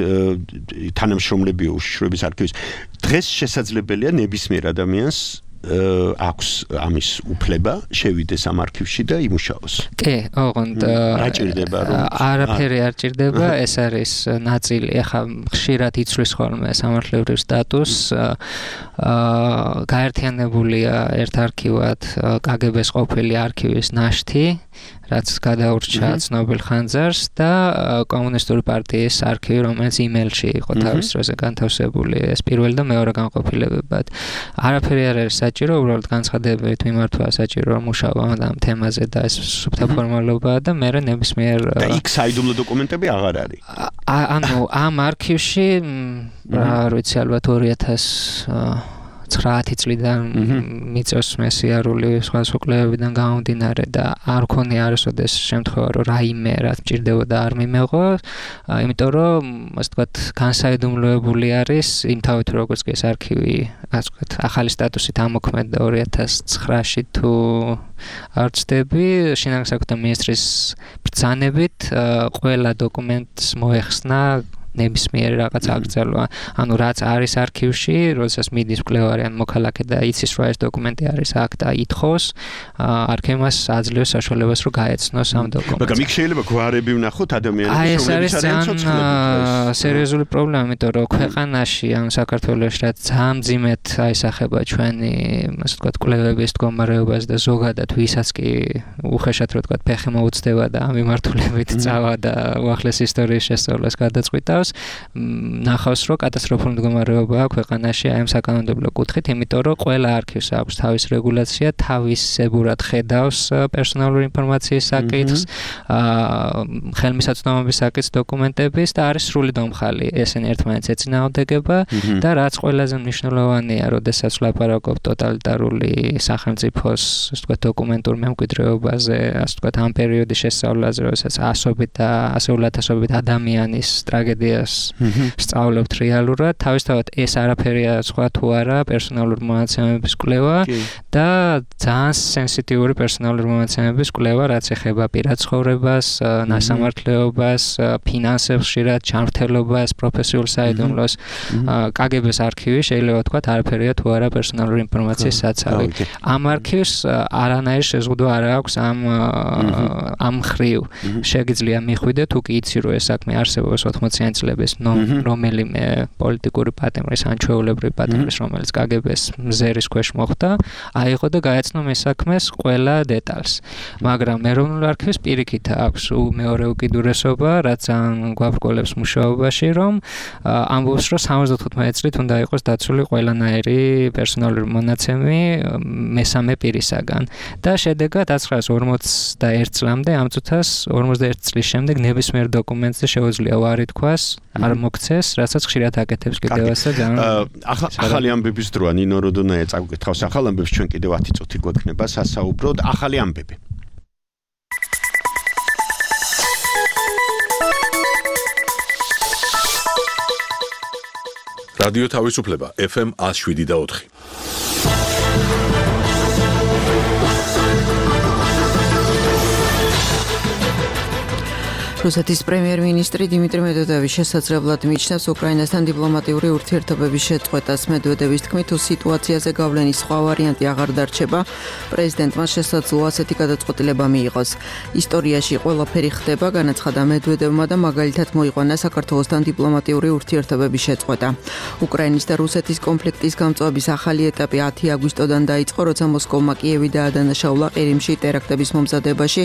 თანამშრომლები უშიშროების არქივის. დღეს შესაძლებელია ნებისმიერ ადამიანს აქვს ამის უფლება შევიდეს ამ არქივში და იმუშაოს. კი, ოღონდ რა ჭირდება რომ არაფერი არ ჭირდება, ეს არის ნაწილი, ახლა ხშირად იცვლის ხოლმე სამართლებრივ სტატუსს, აა გაერთიანებულია ერთ არქივად კგბ-ს ყოფილი არქივის ნაშთი, რაც გადაურჩა ცნობილ ხანძარს და კომუნისტური პარტიის არქივი, რომელიც იმეილში იყო თავის დროზე განთავსებული, ეს პირველი და მეორე განყოფილებებად. არაფერი არ არის საჭირო, უბრალოდ განცხადებით მიმართვა საჭირო მუშაობა ამ თემაზე და ეს სუფთა ფორმალობაა და მე ნებისმიერ და იქ საიდუმლო დოკუმენტები აღარ არის. ანუ ამ არქივში რა ვიცი ალბათ ორი ათას ცხრაათი წლიდან მიწევს მესიარული სხვა სოკლებებიდან გამომდინარე და არ ქონია არასოდეს შემთხვევა რომ რაიმე რაც მჭირდებოდა არ მიმეღო, იმიტომ რომ ასე ვთქვათ განსაიდუმლოებული არის იმთავით როგორც კი ეს არქივი ასე ვთქვათ ახალი სტატუსით ამოქმედდა ორი ათას ცხრაში თუ არ ვცდები, შინაგან საქმეთა მინისტრის ბრძანებით ყველა დოკუმენტს მოეხსნა ნებისმიერი რაღაც აკრძალვა. ანუ რაც არის არქივში, როდესაც მიდის მკვლევარი ან მოქალაქე და იცის რომ ეს დოკუმენტი არის აქ და ითხოვს, არქივს აძლევს საშუალებას რომ გაეცნოს ამ დოკუმენტს. მაგრამ იქ შეიძლება გვარები ვნახოთ ადამიანების რომლებიც არიან ცოცხლები. სერიოზული პრობლემა, იმიტომ რომ ქვეყანაში ან საქართველოში რაც ძალიან მძიმედ აისახება ჩვენი, ასე ვთქვათ, კვლევების მდგომარეობას და ზოგადად ვისაც კი უხეშად რო ვთქვათ ფეხი მოუწდება და ამ მიმართულებით წავა და უახლეს ისტორიის შესწავლას გადაწყვიტავს, ნახავს რომ კატასტროფული მდგომარეობა აქვს ქვეყანაში აი ამ საკანონმდებლო კუთხით, იმიტომ რომ ყველა არქივს აქვს თავის რეგულაცია, თავისებურად ხედავს პერსონალური ინფორმაციის საკითხს, ხელმისაწვდომობის საკითხს, დოკუმენტების და არის სრული დომხალი. ესენი ერთმანეთს ეწინააღმდეგება და რაც ყველაზე მნიშვნელოვანია, როდესაც ვლაპარაკობ ტოტალიტარული სახელმწიფოს, ასე ვთქვათ, დოკუმენტურ მემკვიდრეობაზე, ასე ვთქვათ, ამ პერიოდის შესწავლაზე, როდესაც ასობით და ასეულათასობით ადამიანის ტრაგედია სწავლობთ რეალურად, თავისთავად ეს არაფერია სხვა თუ არა პერსონალური მონაცემების კვლევა და ძალიან სენსიტიური პერსონალური მონაცემების კვლევა, რაც ეხება პირად ცხოვრებას, ნასამართლეობას, ფინანსებს, ხშირად ჯანმრთელობას, პროფესიულ საიდუმლოს. კგბ-ს არქივი შეიძლება ვთქვათ არაფერია თუ არა პერსონალური ინფორმაციის საცავი. ამ არქივს არანაირი შეზღუდვა არ აქვს ამ ამ ხრივ. შეგიძლია მიხვიდე თუ კი იცი რომ ეს საქმე არსებობს ოცდაათი წლების რომელიმე პოლიტიკური პატიმრის ან ჩვეულებრივი პატიმრის, რომელიც კგბ-ს მზერის ქვეშ მოხვდა, აიღო და გაეცნო მის საქმეს ყველა დეტალს. მაგრამ ეროვნულ არქივს პირიქით აქვს მეორე უკიდურესობა, რაც ძალიან გვაბრკოლებს მუშაობაში, რომ ამბობს, რომ სამოცდათხუთმეტი წლით უნდა იყოს დაცული ყველანაირი პერსონალური მონაცემი მესამე პირისაგან. და შედეგად ათასცხრაას ორმოცდაერთი წლამდე ამ წუთას ორმოცდაერთი წლის შემდეგ ნებისმიერ დოკუმენტზე შეუძლია უარი თქვას არ მოგცეს, რასაც ხშირად აკეთებს კიდევაც და ძალიან ახალი ამბების დროა ნინო როდონაია წაგკითხავს ახალ ამბებს ჩვენ კიდევ ათი წუთი გვექნება სასაუბროდ ახალი ამბები. რადიო თავისუფლება ეფ ემ one oh seven და four. რუსეთის პრემიერ-მინისტრი დიმიტრი მედვედევი შესაძლებლად მიიჩნევს უკრაინასთან დიპლომატიური ურთიერთობების შეწყვეტას. მედვედევის თქმით, თუ სიტუაციაზე გავლენის სხვა ვარიანტი აღარ დარჩება, პრეზიდენტმა შესაძლოა ასეთი გადაწყვეტილება მიიღოს. ისტორიაში ყველაფერი ხდება, განაცხადა მედვედევმა და მაგალითად მოიყვანა საქართველოსთან დიპლომატიური ურთიერთობების შეწყვეტა. უკრაინის და რუსეთის კონფლიქტის გამწვავების ახალი ეტაპი ათი აგვისტოდან დაიწყო, როცა მოსკოვმა კიევი დაადანაშაულა ყირიმში ტერაქტების მომზადებაში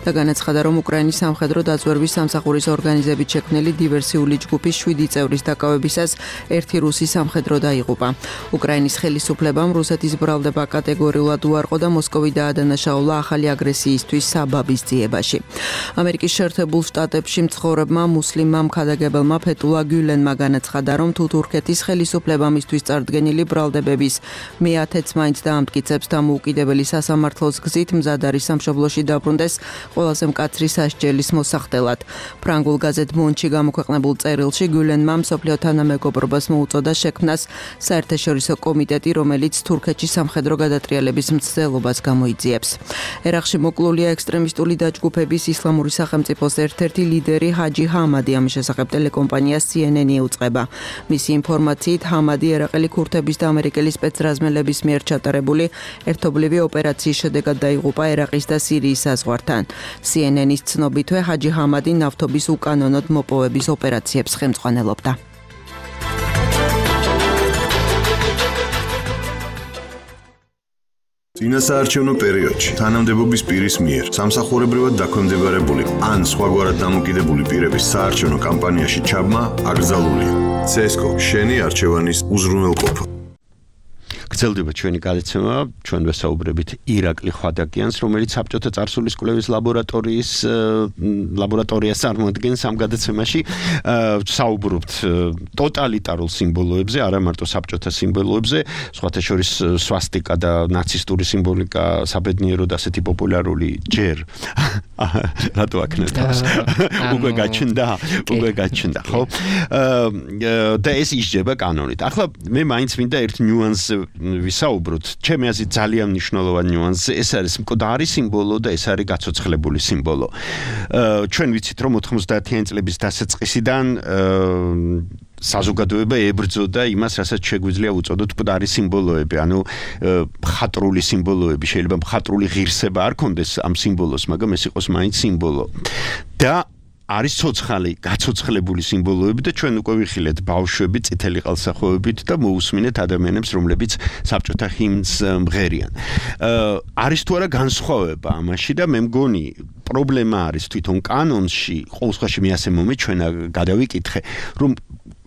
და განაცხადა, რომ უკრაინის სამხედრო დაზვერვის სამსახურის ორგანიზებით შექმნილი დივერსიული ჯგუფის შვიდი წევრის დაკავებისას ერთი რუსი სამხედრო დაიღუპა. უკრაინის ხელისუფლებამ რუსეთის ბრალდება კატეგორიულად უარყო და მოსკოვი დაადანაშაულა ახალი აგრესიისთვის საბაბის ძიებაში. ამერიკის შეერთებულ შტატებში მცხოვრებმა მუსლიმმა მქადაგებელმა ფეტულა გულენმა განაცხადა, რომ თუ თურქეთის ხელისუფლება მისთვის წარდგენილი ბრალდებების მეათეც მაინც დაამტკიცებს დამოუკიდებელი სასამართლოს გზით მზად არის სამშობლოში დაბრუნდეს ყველაზე მკაცრი სასჯელის მოსახდელად. ფრანგულ გაზეთ მონში გამოქვეყნებულ წერილში გულენმა მსოფლიო თანამეგობრობას მოუწოდა შექმნას საერთაშორისო კომიტეტი, რომელიც თურქეთში სამხედრო გადატრიალების მცდელობას გამოიძიებს. ერაყში მოკლულია ექსტრემისტული დაჯგუფების ისლამური სახელმწიფოს ერთ-ერთი ლიდერი ჰაჯი ჰამადი. ამის შესახებ ტელეკომპანია C N N იუწყება. მისი ინფორმაციით, ჰამადი ერაყელი ქურთების და ამერიკელი სპეცრაზმელების მიერ ჩატარებული ერთობლივი ოპერაციის შედეგად დაიღუპა ერაყის და სირიის საზღვართან. C N N-ის ცნობითვე ჰაჯი ჰამადი ნავთობის უკანონოდ მოპოვების ოპერაციებს ხელმძღვანელობდა. წინასაარჩევნო პერიოდში თანამდებობის პირის მიერ სამსახურებრივად დაქვემდებარებული ან სხვაგვარად დამოკიდებული პირების საარჩევნო კამპანიაში ჩაბმა აკრძალულია. ცესკო შენი არჩევანის უზრუნველყოფა. გრძელდება ჩვენი გადაცემა, ჩვენ ვესაუბრებით ირაკლი ხვადაკიანს, რომელიც საბჭოთა წარსულის კვლევის ლაბორატორიის ლაბორატორიას წარმოადგენს ამ გადაცემაში. საუბრობთ ტოტალიტარულ სიმბოლოებზე, არა მარტო საბჭოთა სიმბოლოებზე, სხვათა შორის სვასტიკა და ნაცისტური სიმბოლიკა საბედნიეროდ ასეთი პოპულარული ჯერ. რატო აქნეთავს? უკვე გაჩნდა, უკვე გაჩნდა, ხო? და ეს ისჯება კანონით. ახლა მე მაინც მინდა ერთ ნიუანსზე ვისაუბროთ. ჩემი აზრით ძალიან მნიშვნელოვანი ნიუანსი ეს არის მკვდარი სიმბოლო და ეს არის გაცოცხლებული სიმბოლო. ჩვენ ვიცით რომ ოთხმოცდაათიანი წლების დასაწყისიდან საზოგადოება ებრძოდა იმას, რასაც შეგვიძლია უწოდოთ მკვდარი სიმბოლოები, ანუ მხატვრული სიმბოლოები, შეიძლება მხატვრული ღირსება არ კონდეს ამ სიმბოლოს, მაგრამ ეს იყოს მაინც სიმბოლო. და არის ცოცხალი, გაცოცხლებული სიმბოლოები და ჩვენ უკვე ვიხილეთ ბავშვები წითელი ყელსახვევებით და მოусმინეთ ადამიანებს, რომლებიც საბჭოთა ჰიმნს მღერიან. არის თუ არა განსხვავება ამაში და მე მგონი პრობლემა არის თვითონ კანონში, ყოველ შემთხვევაში მე ასე მომეჩვენა, გადავიკითხე, რომ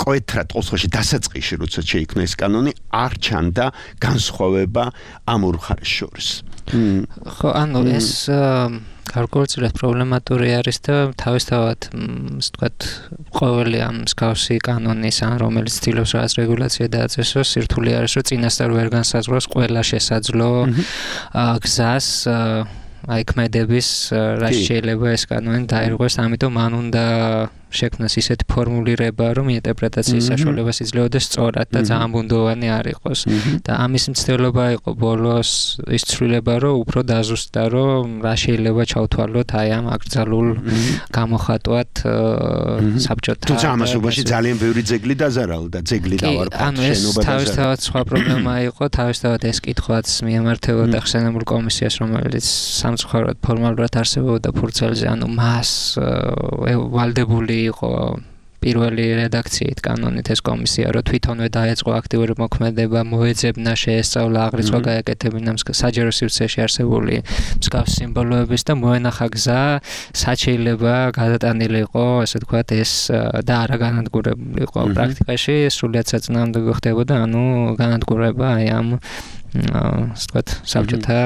კოეთრად ყოველ შემთხვევაში დასაწყისში, როცა შეიქმნა ეს კანონი, არ ჩანდა განსხვავება ამ ორ მხარეს შორის. ხო, ანუ ეს გარკვეულწილად პრობლემატური არის და თავისთავად, ასე ვთქვათ, ყოველი ამ მსგავსი კანონის, ან რომელიც ცდილობს რაღაც რეგულაცია დააწესოს, სირთულე არის, რომ წინასწარ ვერ განსაზღვროს ყველა შესაძლო გზას აი ქმედების რა შეიძლება ეს კანონი დაირღვეს, ამიტომ მან უნდა შექმნას ისეთი ფორმულირება, რომ ინტერპრეტაციის საშუალებას იძლეოდეს სწორად და ძალიან ბუნდოვანი არ იყოს. და ამის მცდელობა იყო ბოლოს ის ცვლილება, რომ უფრო დაზუსტდა, რომ რა შეიძლება ჩავთვალოთ აი ამ აკრძალულ გამოხატვად საბჭოთა. თუმცა ამასობაში ძალიან ბევრი ძეგლი დაზარალდა, ძეგლი დავარქვა, შენობა დაზარალდა. თავისთავად სხვა პრობლემა იყო, თავისთავად ეს კითხვაც მიემართებოდა ხსენებულ კომისიას, რომელიც სამწუხაროდ ფორმალურად არსებობდა ფურცელზე, ანუ მას ვალდებული იყო პირველი რედაქციით კანონით ეს კომისია, რომ თვითონვე დაეწყო აქტიური მოქმედება, მოეძებნა, შეესწავლა, აღრიცხვა გაეკეთებინა საჯარო სივრცეში არსებული მსგავს სიმბოლოების და მოენახა გზა, რაც შეიძლება გადატანილი იყო, ასე ვთქვათ, ეს და არა განადგურებული იყო პრაქტიკაში, სრულიად საწინააღმდეგო ხდებოდა, ანუ განადგურება აი ამ, ასე ვთქვათ, საბჭოთა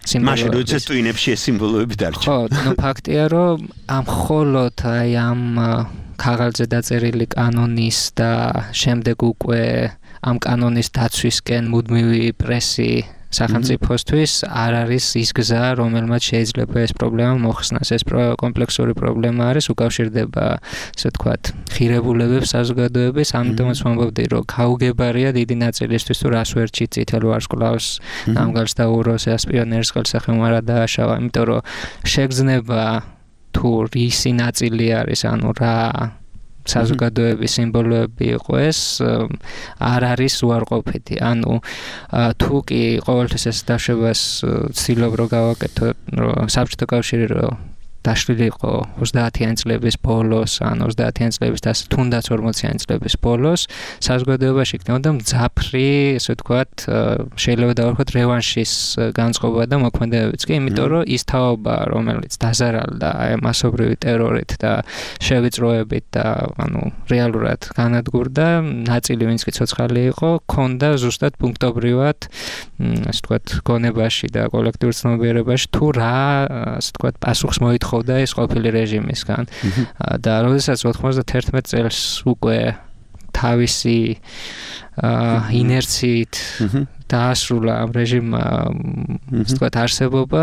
მაშინ როდესაც ტვინებში ეს სიმბოლოები დარჩა. ხო, ნუ ფაქტია, რომ ამ მხოლოდ აი ამ ქაღალდზე დაწერილი კანონის და შემდეგ უკვე ამ კანონის დაცვისკენ მუდმივი პრესი სახელმწიფოსთვის არ არის ის გზა, რომელმაც შეიძლება ეს პრობლემა მოხსნას. ეს კომპლექსური პრობლემა არის, უკავშირდება, ასე ვთქვათ, ღირებულებებს საზოგადოების, ამიტომაც ვამბობდი, რომ გაუგებარია დიდი ნაწილისთვის თუ რას ვერჩით წითელ ვარსკვლავს, ნამგალს და უროს, ეს პიონერის ხელსახემ არა დააშავა, იმიტომ რომ შეგრძნება თუ რისი ნაწილი არის, ანუ რა საზოგადოების სიმბოლოები იყო ეს არ არის უარყოფითი. ანუ თუ კი ყოველთვის ეს დაშვებას ცდილობ რომ გავაკეთო, რომ საბჭოთა კავშირი რომ დაშლილი იყო ოცდაათიანი წლების ბოლოს, ან ოცდაათიანი წლების და თუნდაც ორმოციანი წლების ბოლოს, საზოგადოებაში იქნებოდა მძაფრი, ასე ვთქვათ, შეიძლება დავარქვათ რევანშის განწყობა და მოქმედებებიც კი, იმიტომ რომ ის თაობა, რომელიც დაზარალდა აი მასობრივი ტერორით და შევიწროებით და ანუ რეალურად განადგურდა, ნაწილი ვინც კი ცოცხალი იყო, ქონდა ზუსტად პუნქტობრივად, ასე ვთქვათ, გონებაში და კოლექტიურ ცნობიერებაში თუ რა, ასე ვთქვათ, პასუხს მოითხოვდა და ეს ყოფილი რეჟიმისგან და როდესაც ოთხმოცდათერთმეტ წელს უკვე თავისი ინერციით დაასრულა ამ რეჟიმმა ასე ვთქვათ არსებობა,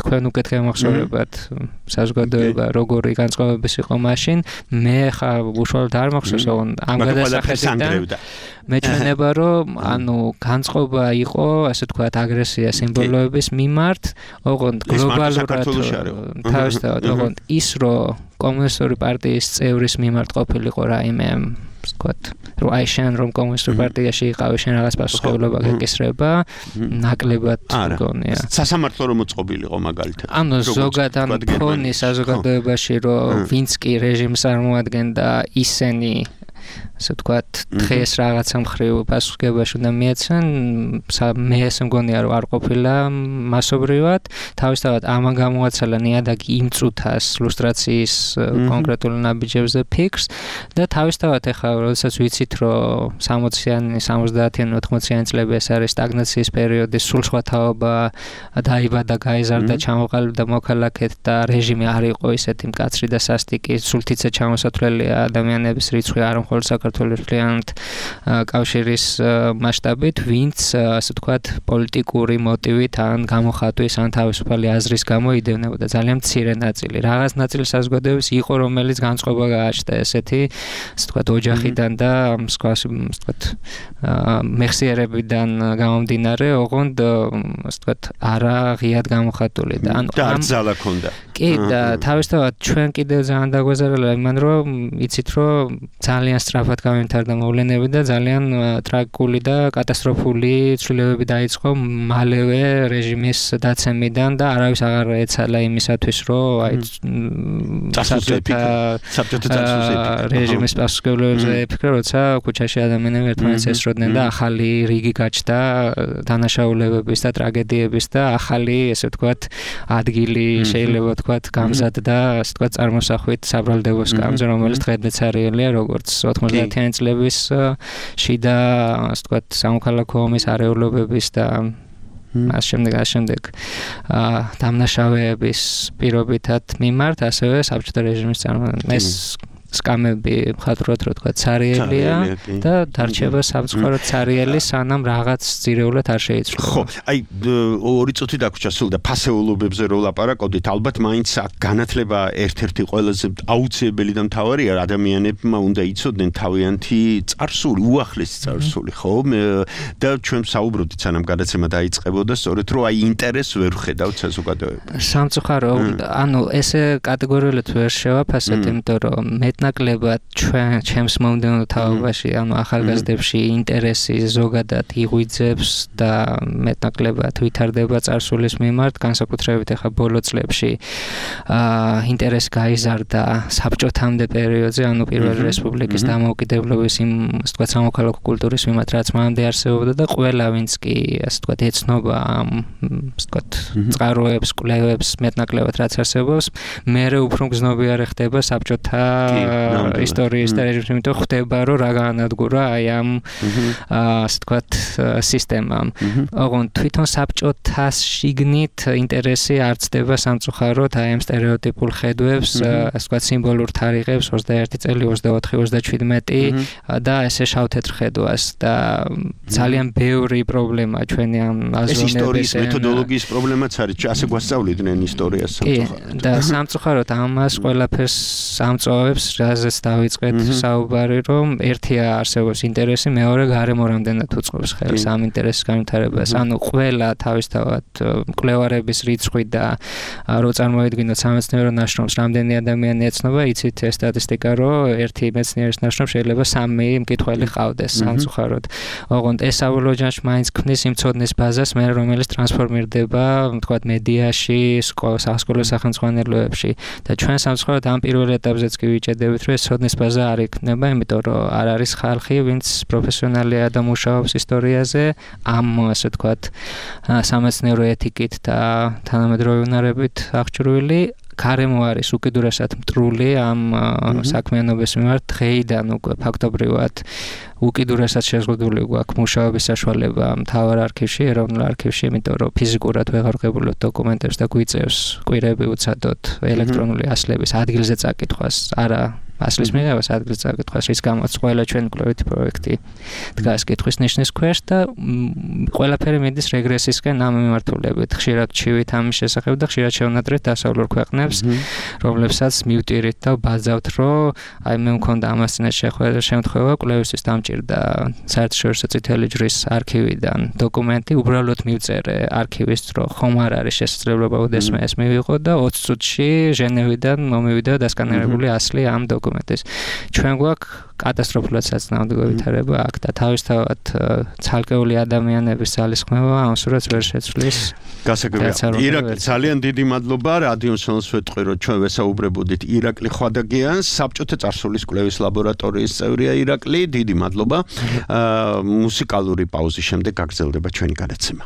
თქვენ უკეთ გამახსოვრებათ საზოგადოება როგორი განწყობების იყო მაშინ, მე ხა უშუალოდ არ მახსოვს, ამ გადასახედიდან მეჩვენება რომ ანუ განწყობა იყო, ასე ვთქვათ, აგრესია სიმბოლოების მიმართ, ოღონდ გლობალურად თავისთავად, ოღონდ ის რომ კომუნისტური პარტიის წევრის მიმართ ყოფილიყო რაიმე ვთქვათ, რომ აი შენ რომ კომუნისტურ პარტიაში იყავი, შენ რაღაც პასუხისმგებლობა გეკისრება, ნაკლებად მგონია. სასამართლო რომ მოწყობილიყო მაგალითად. ანუ ზოგადად ან ფონი საზოგადოებაში რომ ვინც კი რეჟიმს წარმოადგენდა, ისინი ასე ვთქვათ, დღეს რაღაცა მხრივ პასუხისმგებლობაში უნდა მიეცენ, მე ესე მგონია რომ არ ყოფილა მასობრივად, თავისთავად ამან გამოაცალა ნიადაგი იმ წუთას ლუსტრაციის კონკრეტულ ნაბიჯებზე ფიქრს და თავისთავად ეხლა როდესაც ვიცით რომ სამოციანი, სამოცდაათიანი, ოთხმოციანი წლები ეს არის სტაგნაციის პერიოდი, სულ სხვა თაობა დაიბადა, გაიზარდა, ჩამოყალიბდა მოქალაქედ და რეჟიმი არ იყო ისეთი მკაცრი და სასტიკი, სულ თითზე ჩამოსათვლელია ადამიანების რიცხვი არ მხოლოდ საქართველოს მთლიანად კავშირის მასშტაბით, ვინც ასე ვთქვათ პოლიტიკური მოტივით ან გამოხატვის ან თავისუფალი აზრის გამო იდევნებოდა ძალიან მცირე ნაწილი. რაღაც ნაწილი საზოგადოების იყო, რომელიც განწყობა გააჩნდა ესეთი, ასე ვთქვათ, ოჯახიდან და სხვა, ასე ვთქვათ, მეხსიერებიდან გამომდინარე, ოღონდ ასე ვთქვათ, არა ღიად გამოხატული და ანუ და ძალა ქონდა. კი და თავისთავად ჩვენ კიდევ ძალიან დაგვეზარალა იმან, რომ იცით რომ ძალიან სწრაფად გამიმთარდა მოვლენები და ძალიან ტრაგიკული და კატასტროფული ცვლილებები დაიწყო მალევე რეჟიმის დაცემიდან და არავის აღარ ეცალა იმისათვის, რომ აი საბჭოთა რეჟიმის პასუხისმგებლობებზე ეფიქრა, როცა ქუჩაში ადამიანები ერთმანეთს ესროდნენ და ახალი რიგი გაჩნდა დანაშაულებების და ტრაგედიების და ახალი, ესე ვთქვათ, ადგილი შეიძლება ვთქვათ, გამზადდა, ასე ვთქვათ, წარმოსახვით საბრალდებო სკამზე, რომელიც დღემდეც არიელია, როგორც ოთხმოცდაათიანი წლების შიდა, ასე ვთქვათ, სამოქალაქო ომის არეულობების და ამ შემდეგ ამ შემდეგ დამნაშავეების პირობითად მიმართ, ასევე საბჭოთა რეჟიმის წარმოქმნა. ეს სკამები მხატვრად რო თქვა ცარიელია და დარჩება სამწუხარო ცარიელი, სანამ რაღაც ძირეულად არ შეიცვლება. ხო, აი ორი წუთი დაგვრჩა სულ და ფასეულობებზე რო ლაპარაკობდით, ალბათ მაინც აქ განათლება ერთ-ერთი ყველაზე აუცილებელი და მთავარია, ადამიანებმა უნდა იცოდნენ თავიანთი წარსული, უახლესი წარსული, ხო? და ჩვენ საუბრობდით, სანამ გადაცემა დაიწყებოდა, სწორედ რომ აი ინტერესს ვერ ვხედავთ საზოგადოებაში. სამწუხარო, ანუ ესე კატეგორიულად ვერ შევაფასებ, იმიტომ რომ ნაკლებად ჩვენ ჩემს მომდევნო თაობაში, ანუ ახალგაზრდებში ინტერესი ზოგადად იღვიძებს და მეტნაკლებად ვითარდება წარსულის მიმართ, განსაკუთრებით ახლა ბოლო წლებში აა ინტერესი გაიზარდა საბჭოთამდე პერიოდზე, ანუ პირველი რესპუბლიკის დამოუკიდებლობის იმ, ასე ვთქვათ, სამოქალაქო კულტურის მიმართ, რაც მანამდე არსებობდა და ყველა ვინც კი, ასე ვთქვათ, ეცნობა ამ, ასე ვთქვათ, წყაროებს, კვლევებს, მეტნაკლებად რაც არსებობს, მერე უფრო გზნობიარე ხდება საბჭოთა ისტორიის და რეჟიმის, იმიტომ ხდება რომ რა განადგურა აი ამ ასე თქვათ სისტემამ. ოღონდ თვითონ საბჭოთა შიგნით ინტერესი არ ცდება სამწუხაროდ აი ამ სტერეოტიპულ ხედვებს, ასე თქვათ სიმბოლურ თარიღებს ოცდაერთი წელი, ოცდაოთხი, ოცდაჩვიდმეტი და ესე შავ-თეთრ ხედვას და ძალიან ბევრი პრობლემა ჩვენი ამ აზროვნების ისტორიის მეთოდოლოგიის პრობლემაც არის, ასე გვასწავლიდნენ ისტორიას სამწუხაროდ. და სამწუხაროდ ამას ყველაფერს ამწოვებს, რაზეც დავიწყეთ საუბარი, რომ ერთია არსებობს ინტერესი, მეორე გარემო რამდენად უწყობს ხელს ამ ინტერესის განვითარებას. ანუ ყველა თავისთავად მკვლევარების რიცხვი და რო წარმოედგინოთ სამეცნიერო ნაშრომს, რამდენი ადამიანი ეცნობა, იცით ეს სტატისტიკა, რომ ერთი მეცნიერის ნაშრომს შეიძლება სამი მკითხველი ყავდეს სამწუხაროდ. ოღონდ ეს საბოლოო მაინც ქმნის იმ ცოდნის ბაზას, მე რომელიც ტრანსფორმირდება, თქვათ, მედიაში, სასკოლო სახელმძღვანელოებში და ჩვენ სამწუხაროდ ამ პირველ ეტაპზეც კი ვიჭედებით, რომ ეს ცოდნის ბაზა არ იქნება, იმიტომ რომ არ არის ხალხი, ვინც პროფესიონალია და მუშაობს ისტორიაზე, ამ ასე თქვათ, სამეცნიერო ეთიკით და თანამედროვე უნარებით აღჭურვილი. გარემო არის უკიდურესად მტრული ამ საქმიანობის მიმართ, დღეიდან უკვე ფაქტობრივად უკიდურესად შეზღუდული გვაქვს მუშაობის საშუალება მთავარ არქივში, ეროვნულ არქივში, იმიტომ რომ ფიზიკურად ვეღარ ვღებულობ დოკუმენტებს და გვიწევს კვირები უცადოდ ელექტრონული ასლების ადგილზე წაკითხვას, არა ასლის მიღებას ადგილზე წაკითხვას, რის გამოც ყველა ჩვენი კვლევითი პროექტი დგას კითხვის ნიშნის ქვეშ და ყველაფერი მიდის რეგრესისკენ ამ მიმართულებით. ხშირად ჩივით ამის შესახებ და ხშირად შევნატრეთ დასავლურ ქვეყნებს, რომლებსაც მივტირით და ვბაძავთ, რომ აი მე მქონდა ამას წინაშე შემთხვევა, კვლევისთვის დამჭირდა საერთაშორისო წითელი ჯვრის არქივიდან დოკუმენტი, უბრალოდ მივწერე არქივის, რომ ხომ არ არის შესაძლებლობა უდესმე ეს მივიღო და ოცი წუთში ჟენევიდან მომივიდა დასკანერებული ასლი ამ დოკუმენტის. ჩვენ გვაქვს კატასტროფულად საწინააღმდეგო ვითარება აქ და თავისთავად ცალკეული ადამიანების ძალისხმევა ამ სურათს ვერ შეცვლის. გასაგებია. ირაკლი, ძალიან დიდი მადლობა რადიოსონს ვეთყვი, რომ ჩვენ ვესაუბრებოდით ირაკლი ხვადაგიანს, საბჭოთა წარსულის კვლევის ლაბორატორიის წევრია ირაკლი, დიდი მადლობა. მუსიკალური პაუზის შემდეგ გაგრძელდება ჩვენი გადაცემა.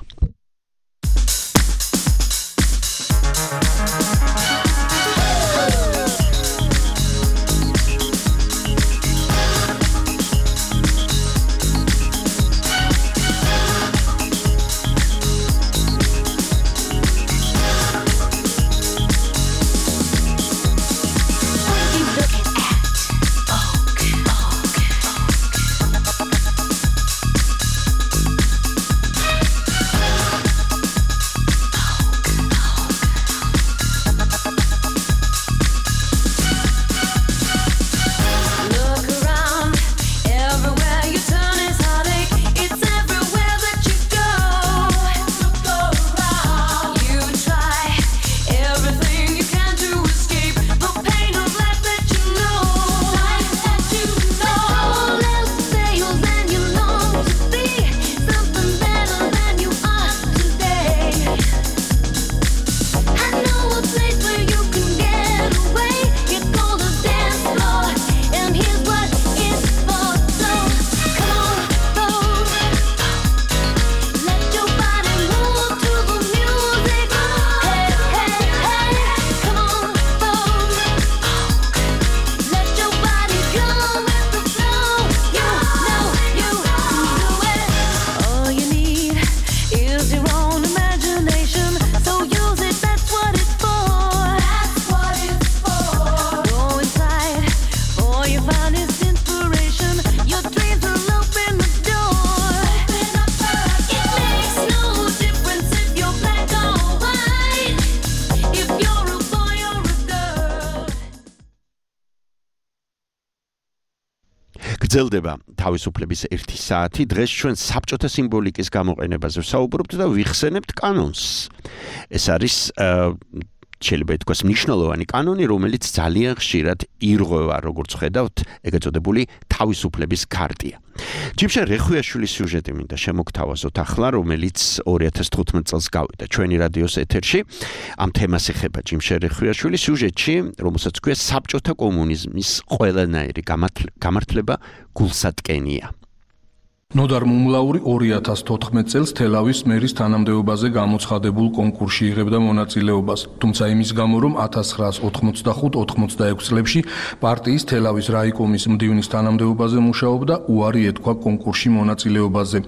გრძელდება თავისუფლების ერთი საათი. დღეს ჩვენ საბჭოთა სიმბოლიკის გამოყენებაზე ვსაუბრობთ და ვიხსენებთ კანონს. ეს არის შეიძლება ითქვას მნიშვნელოვანი კანონი, რომელიც ძალიან ხშირად ირღვევა, როგორც ხედავთ, ეგრეთ წოდებული თავისუფლების ქარტია. ჯიმშე რეხვიაშვილის სიუჟეტი მინდა შემოგთავაზოთ ახლა, რომელიც ორი ათას თხუთმეტ წელს გავიდა ჩვენი რადიოს ეთერში. ამ თემას ეხება ჯიმშე რეხვიაშვილის სიუჟეტში, რომელსაც ქვია საბჭოთა კომუნიზმის ყველანაირი გამართლება გულსატკენია. ნოდარ მუმლაური ორი ათას თოთხმეტ წელს თელავის მერის თანამდებობაზე გამოცხადებულ კონკურსში იღებდა მონაწილეობას, თუმცა იმის გამო, რომ ათას ცხრაას ოთხმოცდახუთ ოცდაექვსი წლებში პარტიის თელავის რაიკომის მდივნის თანამდებობაზე მუშაობდა, უარი ეთქვა კონკურსში მონაწილეობაზე.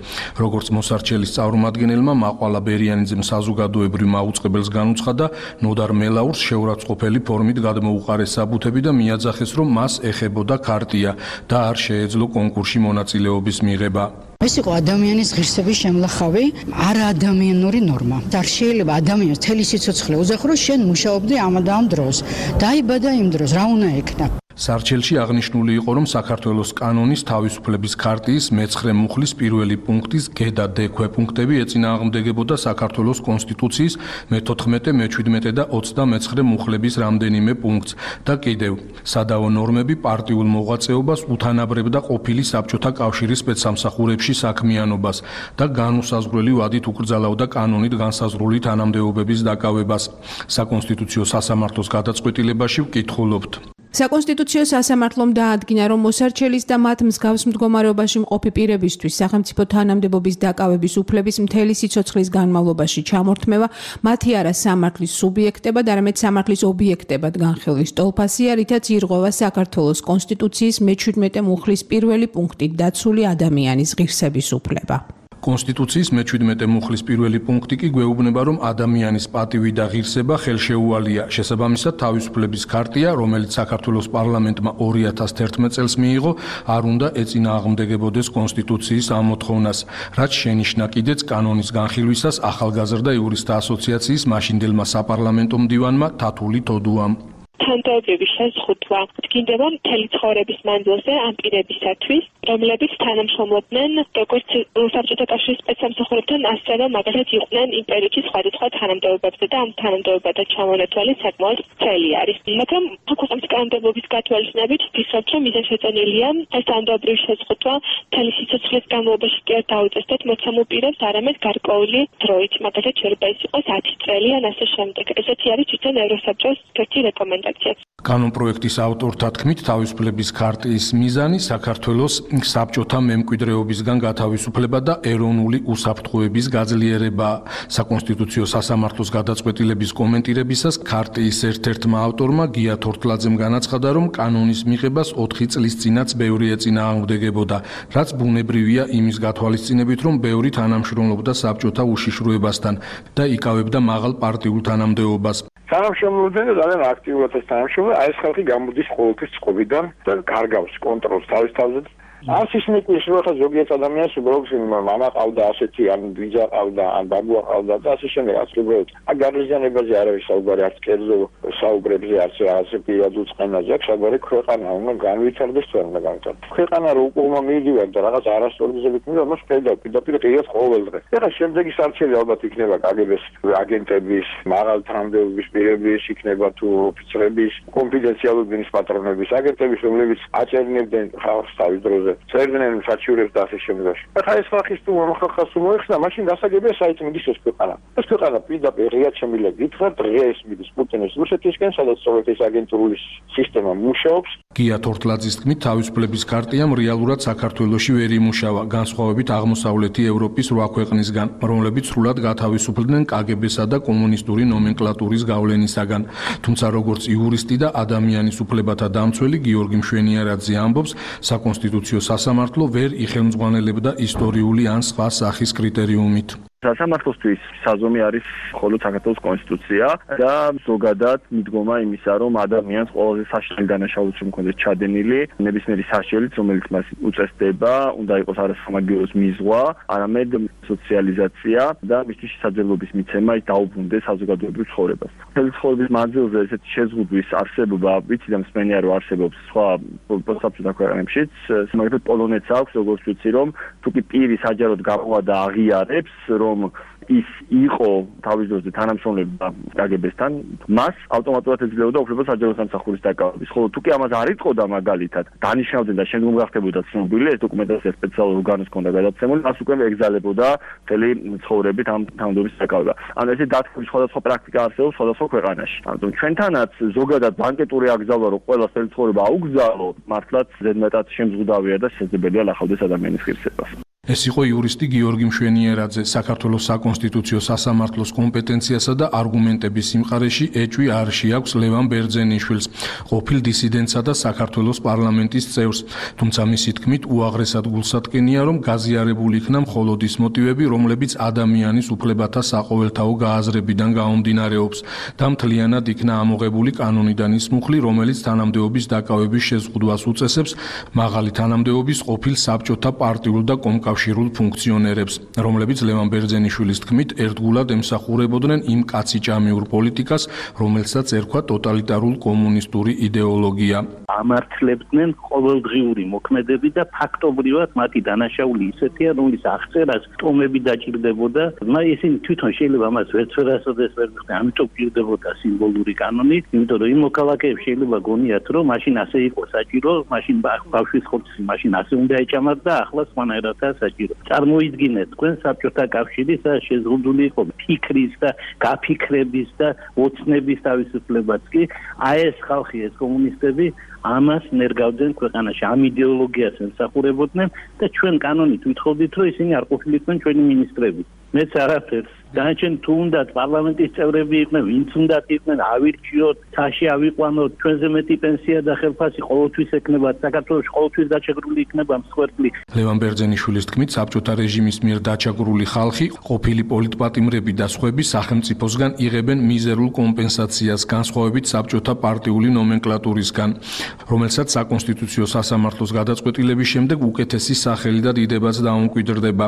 როგორც მოსარჩელის წარმომადგენელმა მაყვალა ბერიანიძემ საზოგადოებრივ მაუწყებელს განუცხადა, ნოდარ მელაურს შეურაცხყოფელი ფორმით გადმოუყარეს საბუთები და მიაძახეს, რომ მას ეხებოდა ქარტია და არ შეეძლო კონკურსში მონაწილეობის მიღება. ეს იყო ადამიანის ღირსების შემლახავი, არაადამიანური ნორმა. არ შეიძლება ადამიანს თელი სიცოცხლე უზახრო, შენ მუშაობდი ამ და ამ დროს. დაიბადა იმ დროს, რა უნდა ეკნა? სარჩელში აღნიშნული იყო, რომ საქართველოს კანონის თავისუფლების ქარტიის მეცხრე მუხლის პირველი პუნქტის გ და დ ქვეპუნქტები ეწინააღმდეგებოდა საქართველოს კონსტიტუციის მეთოთხმეტე, მეჩვიდმეტე და ოცდამეცხრე მუხლების რამდენიმე პუნქტს და კიდევ სადავო ნორმები პარტიულ მოღვაწეობას უთანაბრებდა ყოფილი საბჭოთა კავშირის სპეცსამსახურებში საქმიანობას და განუსაზღვრელი ვადით უკრძალავდა კანონით განსაზღვრული თანამდებობების დაკავებას. საკონსტიტუციო სასამართლოს გადაწყვეტილებაში ვკითხულობთ. საკონსტიტუციო სასამართლომ დაადგინა, რომ მოსარჩელის და მათ მსგავს მდგომარეობაში მყოფი პირებისთვის სახელმწიფო თანამდებობის დაკავების უფლების მთელი სიცოცხლის განმავლობაში ჩამორთმევა მათი არა სამართლის სუბიექტებად, არამედ სამართლის ობიექტებად განხილვის ტოლფასია, რითაც ირღვევა საქართველოს კონსტიტუციის მეჩვიდმეტე მუხლის პირველი პუნქტით დაცული ადამიანის ღირსების უფლება. კონსტიტუციის მეჩვიდმეტე მუხლის პირველი პუნქტი კი გვეუბნება, რომ ადამიანის პატივი და ღირსება ხელშეუვალია. შესაბამისად, თავისუფლების ქარტია, რომელიც საქართველოს პარლამენტმა ორი ათას თერთმეტ წელს მიიღო, არ უნდა ეწინააღმდეგებოდეს კონსტიტუციის ამ მოთხოვნას, რაც შენიშნა კიდეც კანონის განხილვისას ახალგაზრდა იურისტთა ასოციაციის მაშინდელმა საპარლამენტო მდივანმა თათული თოდუამ. თანამდებობის შეზღუდვა დგინდება მთელი ცხოვრების მანძილზე ამ პირებისათვის, რომლებიც თანამშრომლობდნენ როგორც საბჭოთა კავშირის სპეცსამსახურებთან, ასევე მაგალითად იყვნენ იმ პერიოდში სხვადასხვა თანამდებობებზე და ამ თანამდებობათა ჩამონათვალი საკმაოდ ძნელი არის. მაგრამ ქვეყნის კანონმდებლობის გათვალისწინებით ვფიქრობ, რომ მიზანშეწონილია ეს თანამდებობრივი შეზღუდვა მთელი სიცოცხლის განმავლობაში კი არ დაუწესდეთ მოცემულ პირებს, არამედ გარკვეული დროით, მაგალითად შეიძლება ის იყოს ათი წელი ან ასე შემდეგ. ესეთი არის თვითონ ევროსაბჭოს ერთი რეკომენდაცია. კანონპროექტის ავტორთა თქმით, თავისუფლების ქარტიის მიზანი საქართველოს საბჭოთა მემკვიდრეობისგან გათავისუფლება და ეროვნული უსაფრთხოების გაძლიერება. საკონსტიტუციო სასამართლოს გადაწყვეტილების კომენტირებისას ქარტიის ერთ-ერთმა ავტორმა გია თორთლაძემ განაცხადა, რომ კანონის მიღებას ოთხი წლის წინაც ბევრი ეწინააღმდეგებოდა, რაც ბუნებრივია იმის გათვალისწინებით, რომ ბევრი თანამშრომლობდა საბჭოთა უშიშროებასთან და იკავებდა მაღალ პარტიულ თანამდებობას. თანამშრომლობდნენ და ძალიან აქტიურად ეს თანამშრომლობა, აი ეს ხალხი გამოდის ყოველთვის წყობიდან და კარგავს კონტროლს თავის თავზე. არც ისინი კი შეიძლება ზოგიერთ ადამიანს უბრალოდ მამა ყავდა ასეთი, ან ბიძა ყავდა, ან ბაბუა ყავდა და ასე შემდეგ, რაც უბრალოდ აი გარიზიანებაზე არავის საუბარი, არც კერძო საუბრებზე, არც რაღაც პირადულ წყენაზე აქვს, საუბარი ქვეყანა უნდა განვითარდეს თუ არ უნდა განვითარდეს. ქვეყანა რო უკუღმა მიიდივარ და რაღაც არასწორიზებით მივიდა, მას ხედავ პირდაპირ ყიას ყოველ დღე. ეხლა შემდეგი სარჩელი ალბათ იქნება კგბ-ს აგენტების, მაღალ თანამდებობის პირების, იქნება თუ ოფიცრების, კონფიდენციალურობის პატრონების, აგენტების, რომლებიც აჭერნებდნენ ხალხს თავის დროზე. წერდნენ საჩივრებს და ასე შემდეგ. ახლა ეს ხალხის თუ ხალხს მოეხსნა, მაშინ გასაგებია საით მიდის ეს ქვეყანა. ეს ქვეყანა პირდაპირ ღიად შემიძლია გითხრათ, დღეს მიდის პუტინის რუსეთისკენ, სადაც სოვიეთის აგენტურული სისტემა მუშაობს. გია თორთლაძის თქმით, თავისუფლების ქარტიამ რეალურად საქართველოში ვერ იმუშავა, განსხვავებით აღმოსავლეთი ევროპის რვა ქვეყნისგან, რომლებიც სრულად გათავისუფლდნენ კგბ-სა და კომუნისტური ნომენკლატურის გავლენისაგან. თუმცა როგორც იურისტი და ადამიანის უფლებათა დამცველი გიორგი მშვენიარაძე ამბობს, საკონსტიტუციო სასამართლო ვერ იხელმძღვანელებდა ისტორიული ან სხვა სახის კრიტერიუმით. სასამართლოსთვის საზომი არის მხოლოდ საქართველოს კონსტიტუცია და ზოგადად მიდგომა იმისა, რომ ადამიანს ყველაზე საშინელი დანაშაულიც რომ მქონდეს ჩადენილი, ნებისმიერი საშიელიც, რომელიც მას უწესდება, უნდა იყოს არასამაგიეროს მიზღვა, არამედ სოციალიზაცია და მისთვის შესაძლებლობის მიცემა ის დაუბრუნდეს საზოგადოებრივ ცხოვრებას. მთელი ცხოვრების მანძილზე ესეთი შეზღუდვის არსებობა, ვიცი და მსმენია რომ არსებობს სხვა საბჭოთა ქვეყნებშიც, მაგალითად პოლონეთს აქვს, როგორც ვიცი, რომ თუ კი პირი საჯაროდ გამოვა და აღიარებს, რომ ის იყო თავის დროზე თანამშრომლობდა კგბ-სთან, მას ავტომატურად ეძლეოდა უფლება საჯარო სამსახურის დაკავების. ხოლო თუ კი ამას არ იტყოდა მაგალითად, დანიშნავდნენ და შემდგომ გახდებოდა ცნობილი, ეს დოკუმენტაცია სპეციალურ ორგანოს ჰქონდა გადაცემული, მას უკვე ეგზალებოდა მთელი ცხოვრებით ამ თანამდებობის დაკავება. ანუ ესე დათქმის სხვადასხვა პრაქტიკა არსებობს სხვადასხვა ქვეყანაში. ანუ ჩვენთანაც ზოგადად ბანკეტური აკრძალვა, რომ ყველა მთელი ცხოვრება აუგზავნო, მართლაც ზედმეტად შემზღუდავია და შესაძლებელია ლახავდეს ადამიანის ღირსებას. ეს იყო იურისტი გიორგი მშვენიერაძე. საქართველოს საკონსტიტუციო სასამართლოს კომპეტენციასა და არგუმენტების სიმყარეში ეჭვი არ შეაქვს ლევან ბერძენიშვილს, ყოფილ დისიდენტსა და საქართველოს პარლამენტის წევრს. თუმცა მისი თქმით, უაღრესად გულსატკენია, რომ გაზიარებული იქნა მხოლოდ ის მოტივები, რომლებიც ადამიანის უფლებათა საყოველთაო გააზრებიდან გაუმდინარეობს და მთლიანად იქნა ამოღებული კანონიდან ის მუხლი, რომელიც თანამდებობის დაკავების შეზღუდვას უწესებს მაღალი თანამდებობის ყოფილ საბჭოთა პარტიულ და კომკავშირულ ფუნქციონერებს, რომლებიც ლევან ბერძენიშვილის თქმით ერთგულად ემსახურებოდნენ იმ კაციჭამიურ პოლიტიკას, რომელსაც ერქვა ტოტალიტარულ კომუნისტური იდეოლოგია. ამართლებდნენ ყოველდღიური მოქმედები და ფაქტობრივად მათი დანაშაული ისეთია, რომლის აღწერას ტომები დაჭირდებოდა, მაგრამ ისინი თვითონ შეიძლება ამას ვერც ვერასოდეს ვერ მიხდნენ, ამიტომ გირდებოდა სიმბოლური კანონი, იმიტომ რომ იმ მოქალაქეებს შეიძლება გონიათ, რომ მაშინ ასე იყო საჭირო, მაშინ ბავშვის ხორცი მაშინ ასე უნდა ეჭამათ და ახლა სხვანაირადაა საჭირო. წარმოიდგინეთ, თქვენ საბჭოთა კავშირის შეზღუდული იყო ფიქრის და გაფიქრების და ოცნების თავისუფლებაც კი, აი ეს ხალხი, ეს კომუნისტები ამას ნერგავდნენ ქვეყანაში, ამ იდეოლოგიას ემსახურებოდნენ და ჩვენ კანონით ვითხოვდით, რომ ისინი არ ყოფილიყვნენ ჩვენი მინისტრები. მეც არაფერს. დანარჩენ თუ უნდათ პარლამენტის წევრები იყვნენ, ვინც უნდათ იყვნენ, ავირჩიოთ, თაში ავიყვანოთ, ჩვენზე მეტი პენსია და ხელფასი ყოველთვის ექნება, საქართველოში ყოველთვის დაჩაგრული იქნება მსხვერპლი. ლევან ბერძენიშვილის თქმით, საბჭოთა რეჟიმის მიერ დაჩაგრული ხალხი, ყოფილი პოლიტპატიმრები და სხვები სახელმწიფოსგან იღებენ მიზერულ კომპენსაციას, განსხვავებით საბჭოთა პარტიული ნომენკლატურისგან, რომელსაც საკონსტიტუციო სასამართლოს გადაწყვეტილების შემდეგ უკეთესი სახელი და დიდებაც დაუმკვიდრდება.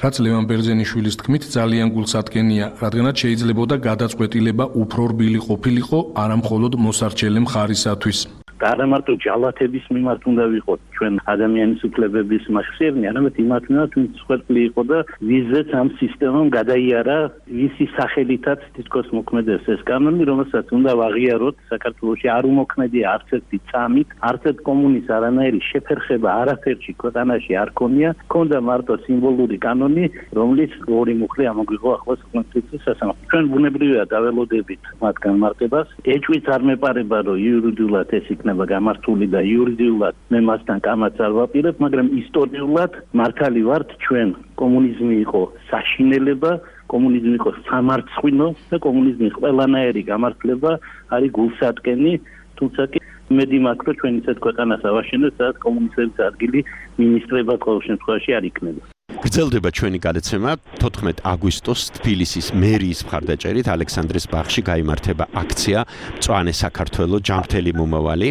რაც ლევან ბერძენიშვილის თქმით, ძალიან გულსატკენია, რადგანაც შეიძლებოდა გადაწყვეტილება უფრო რბილი ყოფილიყო არა მხოლოდ მოსარჩელე მხარისათვის. და არა მარტო ჯალათების მიმართ უნდა ვიყოთ ჩვენ ადამიანის უფლებების მახსიერნი, არამედ იმათ მიმართ, ვინც მსხვერპლი იყო და ვიზეც ამ სისტემამ გადაიარა ვისი სახელითაც თითქოს მოქმედებს ეს კანონი, რომელსაც უნდა ვაღიაროთ. საქართველოში არ უმოქმედია არც ერთი წამით, არც ერთ კომუნის არანაირი შეფერხება არაფერში ქვეყანაში არ ქონია, ქონდა მარტო სიმბოლური კანონი, რომლის ორი მუხლი ამოგვიღო ახლა საკონსტიტუციო სასამართლო. ჩვენ ბუნებრივია დაველოდებით მათ განმარტებას. ეჭვიც არ მეპარება, რომ იურიდიულად ეს იქნება გამართული და იურიდიულად მე მასთან კამაც არ ვაპირებ, მაგრამ ისტორიულად მართალი ვართ ჩვენ. კომუნიზმი იყო საშინელება, კომუნიზმი იყო სამარცხვინო და კომუნიზმის ყველანაირი გამართლება არის გულსატკენი, თუმცა კი მედი მაქვს, რომ ჩვენ ისეთ ქვეყანას ავაშენებთ, სადაც კომუნისტების ადგილი მინისტრებად ყოველ შემთხვევაში არ იქნება. გრძელდება ჩვენი გადაცემა. თოთხმეტ აგვისტოს თბილისის მერიის მხარდაჭერით ალექსანდრეს ბაღში გაიმართება აქცია მწვანე საქართველო ჯანმრთელი მომავალი.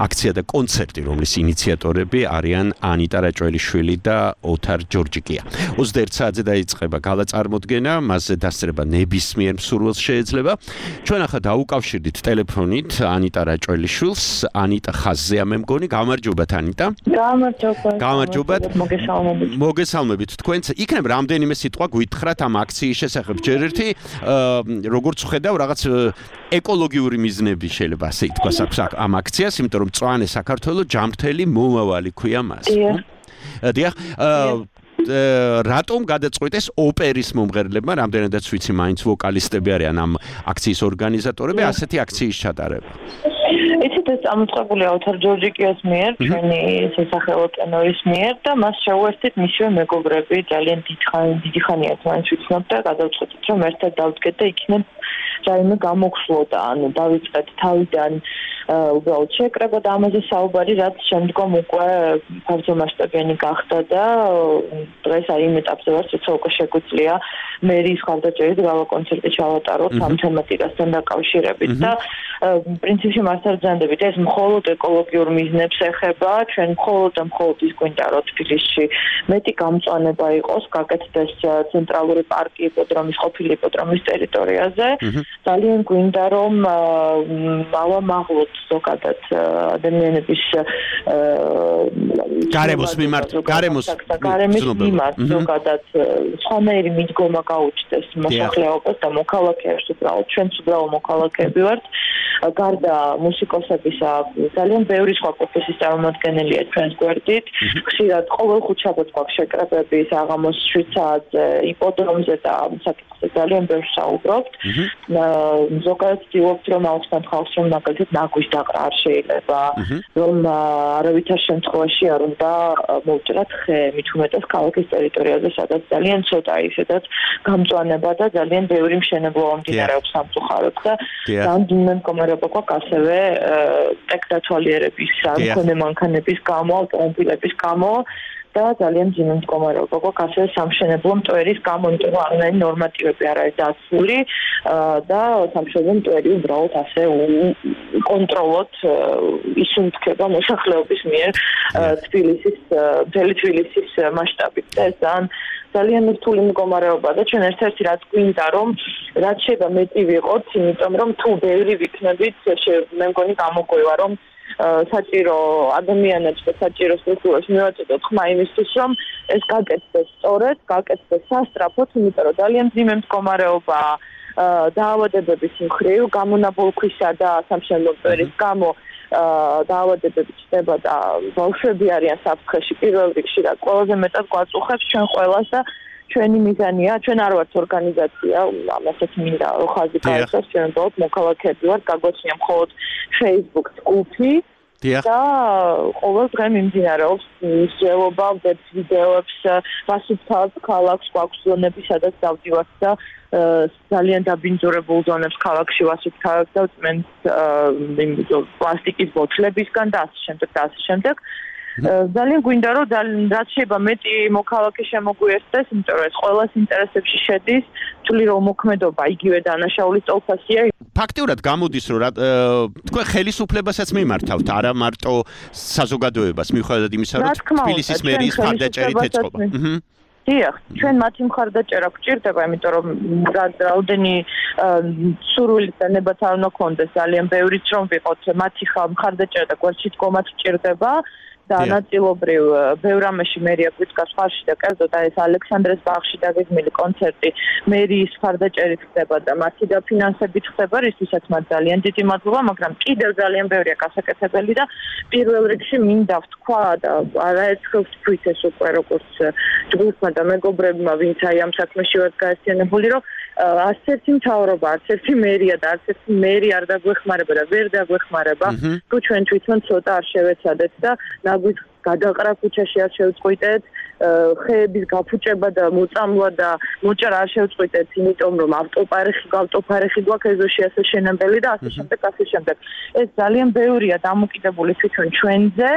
აქცია და კონცერტი, რომლის ინიციატორები არიან ანიტა რაჭველიშვილი და ოთარ ჯორჯიკია. ოცდაერთ საათზე დაიწყება გალაწარმოდგენა, მასზე დასწრება ნებისმიერ მსურველს შეეძლება. ჩვენ ახლა დაუკავშირდით ტელეფონით ანიტა რაჭველიშვილს. ანიტა ხაზზეა მე მგონი. გამარჯობათ ანიტა. გამარჯობა. გამარჯობათ. მოგესალმებით. მოგესალმებით. თქვენც იქნებ რამდენიმე სიტყვა გვითხრათ ამ აქციის შესახებ. ჯერ ერთი როგორც ხედავ რაღაც ეკოლოგიური მიზნები შეიძლება ასე ითქვას აქვს ამ აქციას, იმიტომ რომ მწვანე საქართველო ჯანმრთელი მომავალი ქვია მას. დიახ. რატომ გადაწყვიტეს ოპერის მომღერლებმა, რამდენადაც ვიცი, მაინც ვოკალისტები არიან ამ აქციის ორგანიზატორები, ასეთი აქციის ჩატარება. იცით, ეს წამოწყებულია ოთარ ჯორჯიკიას მიერ, ჩვენი სასახელო ტენორის მიერ და მას შეუერთდით მისივე მეგობრები, ძალიან დიდი ხანია მაინც ვიცნობ და გადავწყვეტით, რომ ერთად დავდგეთ და იქნებ რაიმე გამოგხსლოდა, ანუ დავიწყეთ თავიდან უბრალოდ შეკრება და ამაზე საუბარი, რაც შემდგომ უკვე ფართომასშტაბიანი გახდა და დღეს აი იმ ეტაპზე ვართ, როცა უკვე შეგვიძლია მერიის მხარდაჭერით გავა კონცერტი ჩავატაროთ ამ თემატიკასთან დაკავშირებით და პრინციპში მასთან ვზანდებით, ეს მხოლოდ ეკოლოგიურ მიზნებს ეხება, ჩვენ მხოლოდ და მხოლოდ ის გვინდა, რომ თბილისში მეტი გამწვანება იყოს, გაკეთდეს ცენტრალური პარკი იპოდრომის, ყოფილი იპოდრომის ტერიტორიაზე. ძალიან გვინდა, რომ ავამაღლოთ ზოგადად ადამიანების გარემოს მიმართ, გარემოს გარემოს მიმართ ზოგადად სხვანაირი მიდგომა გაუჩნდეს მოსახლეობას და მოქალაქეებს, უბრალოდ ჩვენც უბრალოდ მოქალაქეები ვართ. გარდა მუსიკოსებისა, ძალიან ბევრი სხვა პროფესიის წარმომადგენელია ჩვენს გვერდით. ხშირად ყოველ ხუთშაბათს გვაქვს შეკრებები საღამოს შვიდ საათზე იპოდრომზე და საკითხზე ძალიან ბევრს საუბრობთ. ზოგადად ვცდილობთ რომ აუცილებლად ხალხს რომ მაგალითად ნაგვის დაყრა არ შეიძლება რომ არავითარ შემთხვევაში არ უნდა მოვჭრათ ხე მით უმეტეს ქალაქის ტერიტორიაზე სადაც ძალიან ცოტა ისედაც გამწვანება და ძალიან ბევრი მშენებლობა მიმდინარეობს სამწუხაროდ და რამდენიმე მდგომარეობა გვაქვს ასევე ტექნოლოგიების სამქონე მანქანების გამო ავტომობილების გამო და ძალიან ძიმე მდგომარეობა გვაქვს ასევე სამშენებლო მტვერის გამო, იმიტომ რომ არანაირი ნორმატივები არ არის დაცული და სამშენებლო მტვერი უბრალოდ ასე კონტროლოთ ისუნთქება მოსახლეობის მიერ თბილისის მთელი თბილისის მასშტაბით და ეს ძალიან რთული მდგომარეობა და ჩვენ ერთ-ერთი რაც გვინდა რომ რაც შეიძლება მეტი ვიყოთ, იმიტომ რომ თუ ბევრი ვიქნებით, მე მგონი გამოგვივა რომ საჭირო ადამიანებს და საჭირო სტრუქტურებს მივაწოდოთ ხმა იმისთვის რომ ეს გაკეთდეს სწორედ, გაკეთდეს სასწრაფოდ, იმიტომ რომ ძალიან ძიმე მდგომარეობა დაავადებების მხრივ, გამონაბოლქვისა და სამშენებლო მტვერის გამო დაავადებები ჩნდება და ბავშვები არიან საფრთხეში პირველ რიგში და ყველაზე მეტად გვაწუხებს ჩვენ ყველას და ჩვენი მიზანია, ჩვენ არ ვართ ორგანიზაცია, ამასაც მინდა რომ ხაზი გაიგოს, ჩვენ უბრალოდ მოქალაქეები ვართ, გაგვაჩნია მხოლოდ Facebook ჯგუფი და ყოველ დღე მიმდინარეობს მსჯელობა, ვდებთ ვიდეოებს, ვასუფთავებთ ქალაქს, გვაქვს ზონები, სადაც დავდივართ და ძალიან დაბინძურებულ ზონებს ქალაქში ვასუფთავებთ და ვწმენთ პლასტიკის ბოთლებისგან და ასე შემდეგ და ასე შემდეგ. ძალიან გვინდა რომ რაც შეიძლება მეტი მოქალაქე შემოგვიერთდეს, იმიტომ რომ ეს ყველას ინტერესებში შედის, თვლი რომ მოქმედობა იგივე დანაშაულის წელსასია. ფაქტიურად გამოდის რომ თქვენ ხელისუფლებასაც მიმართავთ, არა მარტო საზოგადოებას, მიუხედავად იმისა, რომ თბილისის მერიის მხარდაჭერით ეწყობა. დიახ, ჩვენ მათი მხარდაჭერა გვჭირდება, იმიტომ რომ რაოდენი სურვილი და ნება არ უნდა გქონდეს, ძალიან ბევრიც რომ ვიყოთ, მათი მხარდაჭერა და გვერდში დგომაც გვჭირდება. და ნაწილობრივ ბევრ ამაში მერია გვიდგას ხარში და კერძოდ ეს ალექსანდრეს ბაღში დაგეგმილი კონცერტი მერიის მხარდაჭერით ხდება და მათი დაფინანსებით ხდება, რისთვისაც მათ ძალიან დიდი მადლობა, მაგრამ კიდევ ძალიან ბევრია გასაკეთებელი და პირველ რიგში მინდა ვთქვა და არაერთხელ ვთქვით ეს უკვე როგორც ჯგუფმა და მეგობრებმა, ვინც აი ამ საქმეში ვართ გაერთიანებული, რომ არც ერთი მთავრობა, არც ერთი მერია და არც ერთი მერი არ დაგვეხმარება და ვერ დაგვეხმარება, თუ ჩვენ თვითონ ცოტა არ შევეცადეთ და ნაგვის გადაყრა ქუჩაში არ შევწყვიტეთ, ხეების გაფუჭება და მოწამლა და მოჭრა არ შევწყვიტეთ, იმიტომ რომ ავტოპარეხი, ავტოპარეხი გვაქვს ეზოში ასე შენებელი და ასე შემდეგ, ასე შემდეგ. ეს ძალიან ბევრია დამოკიდებული თვითონ ჩვენზე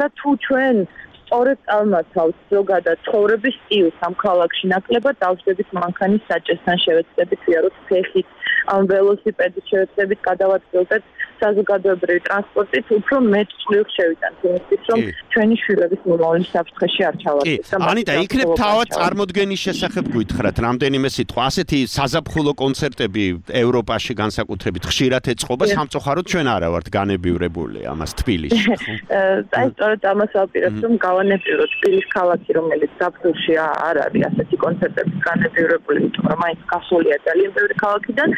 და თუ ჩვენ სწორედ წამოთავთ ზოგადად ცხოვრების სტილს ამ ქალაქში ნაკლებად დავждებით მანქანის საჭესთან შევეცდებით ვიაროთ ფეხით ამ ველოსიპედით შევეცდებით გადავადგილდეთ საზოგადოებრივი ტრანსპორტით უფრო მეტ წვლილს შევიტანთ იმისთვის რომ ჩვენი შვილების მომავალი საფრთხეში არ ჩავარდეთ. ანიტა, იქნებ თავად წარმოდგენის შესახებ გითხრათ რამდენიმე სიტყვა. ასეთი საზაფხულო კონცერტები ევროპაში განსაკუთრებით ხშირად ეწყობა, სამწუხაროდ ჩვენ არა ვართ განებივრებული ამას თბილისში. აი სწორედ ამას ვაპირებთ რომ გავანებივროთ თბილის ქალაქი, რომელიც საფრთხეში არ არის ასეთი კონცერტების განებივრებული, იმიტომ რომ მაინც გასულია ძალიან ბევრი ქალაქიდან.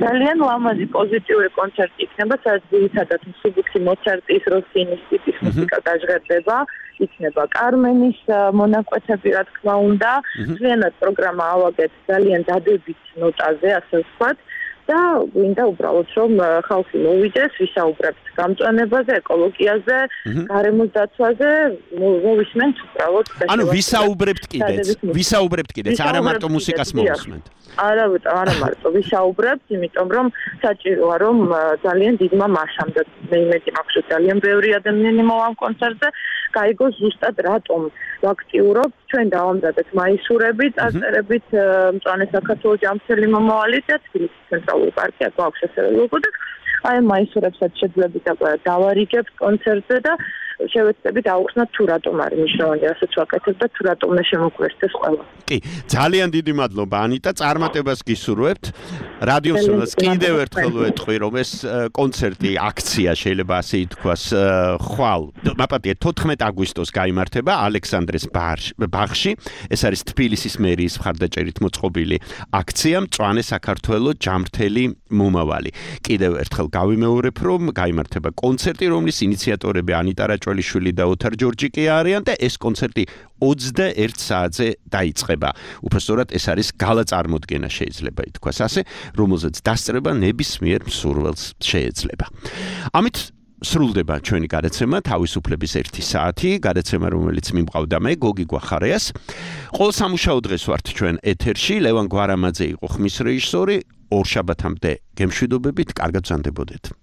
ძალიან ლამაზი პოზიტიური კონცერტი იქნება, სადაც ძირითადად მსუბუქი მოცარტის, როსინის ტიპის მუსიკა გაჟღერდება, იქნება კარმენის მონაკვეთები, რა თქმა უნდა. მთლიანად პროგრამა ავაგეთ ძალიან დადებით ნოტაზე, ასე ვთქვათ. და გვინდა უბრალოდ რომ ხალხი მოვიდეს, ვისაუბრებთ გამწვანებაზე, ეკოლოგიაზე, გარემოს დაცვაზე, მოვისმენთ უბრალოდ. ანუ ვისაუბრებთ კიდეც, ვისაუბრებთ კიდეც, არა მარტო მუსიკას მოვისმენთ. არა, არა მარტო ვისაუბრებთ, იმიტომ რომ საჭიროა რომ ძალიან დიდმა მასამ და მე იმედი მაქვს რომ ძალიან ბევრი ადამიანი მოვა ამ კონცერტზე, გაიგოს ზუსტად რატომ ვაქტიურობთ, ჩვენ დავამზადეთ მაისურები, წარწერებით მწვანე საქართველოს ჯამრთელი მომავალი და თბილისის ცენტრალური პარკი აქ აქვს ასევე ლოგო და აი მაისურებსაც შეძლებით დავარიგებთ კონცერტზე და შევეცდებით აუხსნათ თუ რატომ არის მნიშვნელოვანი ასეც ვაკეთებ და თუ რატომ მე შემოგვერთდეს ყველა. კი, ძალიან დიდი მადლობა ანიტა, წარმატებას გისურვებთ. რადიოსმენს კიდევ ერთხელ ვეთქვი, რომ ეს კონცერტი, აქცია შეიძლება ასე ითქვას, ხვალ, მაპატია თოთხმეტ აგვისტოს გაიმართება ალექსანდრეს ბაღში. ეს არის თბილისის მერიის მხარდაჭერით მოწყობილი აქცია მწვანე საქართველოს ჯამრთელი მომავალი. კიდევ ერთხელ გავიმეორებ, რომ გაიმართება კონცერტი, რომლის ინიციატორები ანიტა რაჭველი მაკრალიშვილი და ოთარ ჯორჯიკი არიან და ეს კონცერტი ოცდაერთ საათზე დაიწყება. უბრალოდ ეს არის გალა წარმოდგენა შეიძლება ითქვას ასე, რომელზეც დასწრება ნებისმიერ მსურველს შეეძლება. ამით სრულდება ჩვენი გადაცემა თავისუფლების ერთი საათი, გადაცემა რომელიც მიმყავდა მე გოგი გვახარიას. ყოველ სამუშაო დღეს ვართ ჩვენ ეთერში, ლევან გვარამაძე იყო ხმის რეჟისორი. ორ შაბათამდე გემშვიდობებით, კარგად ვზანდებოდეთ.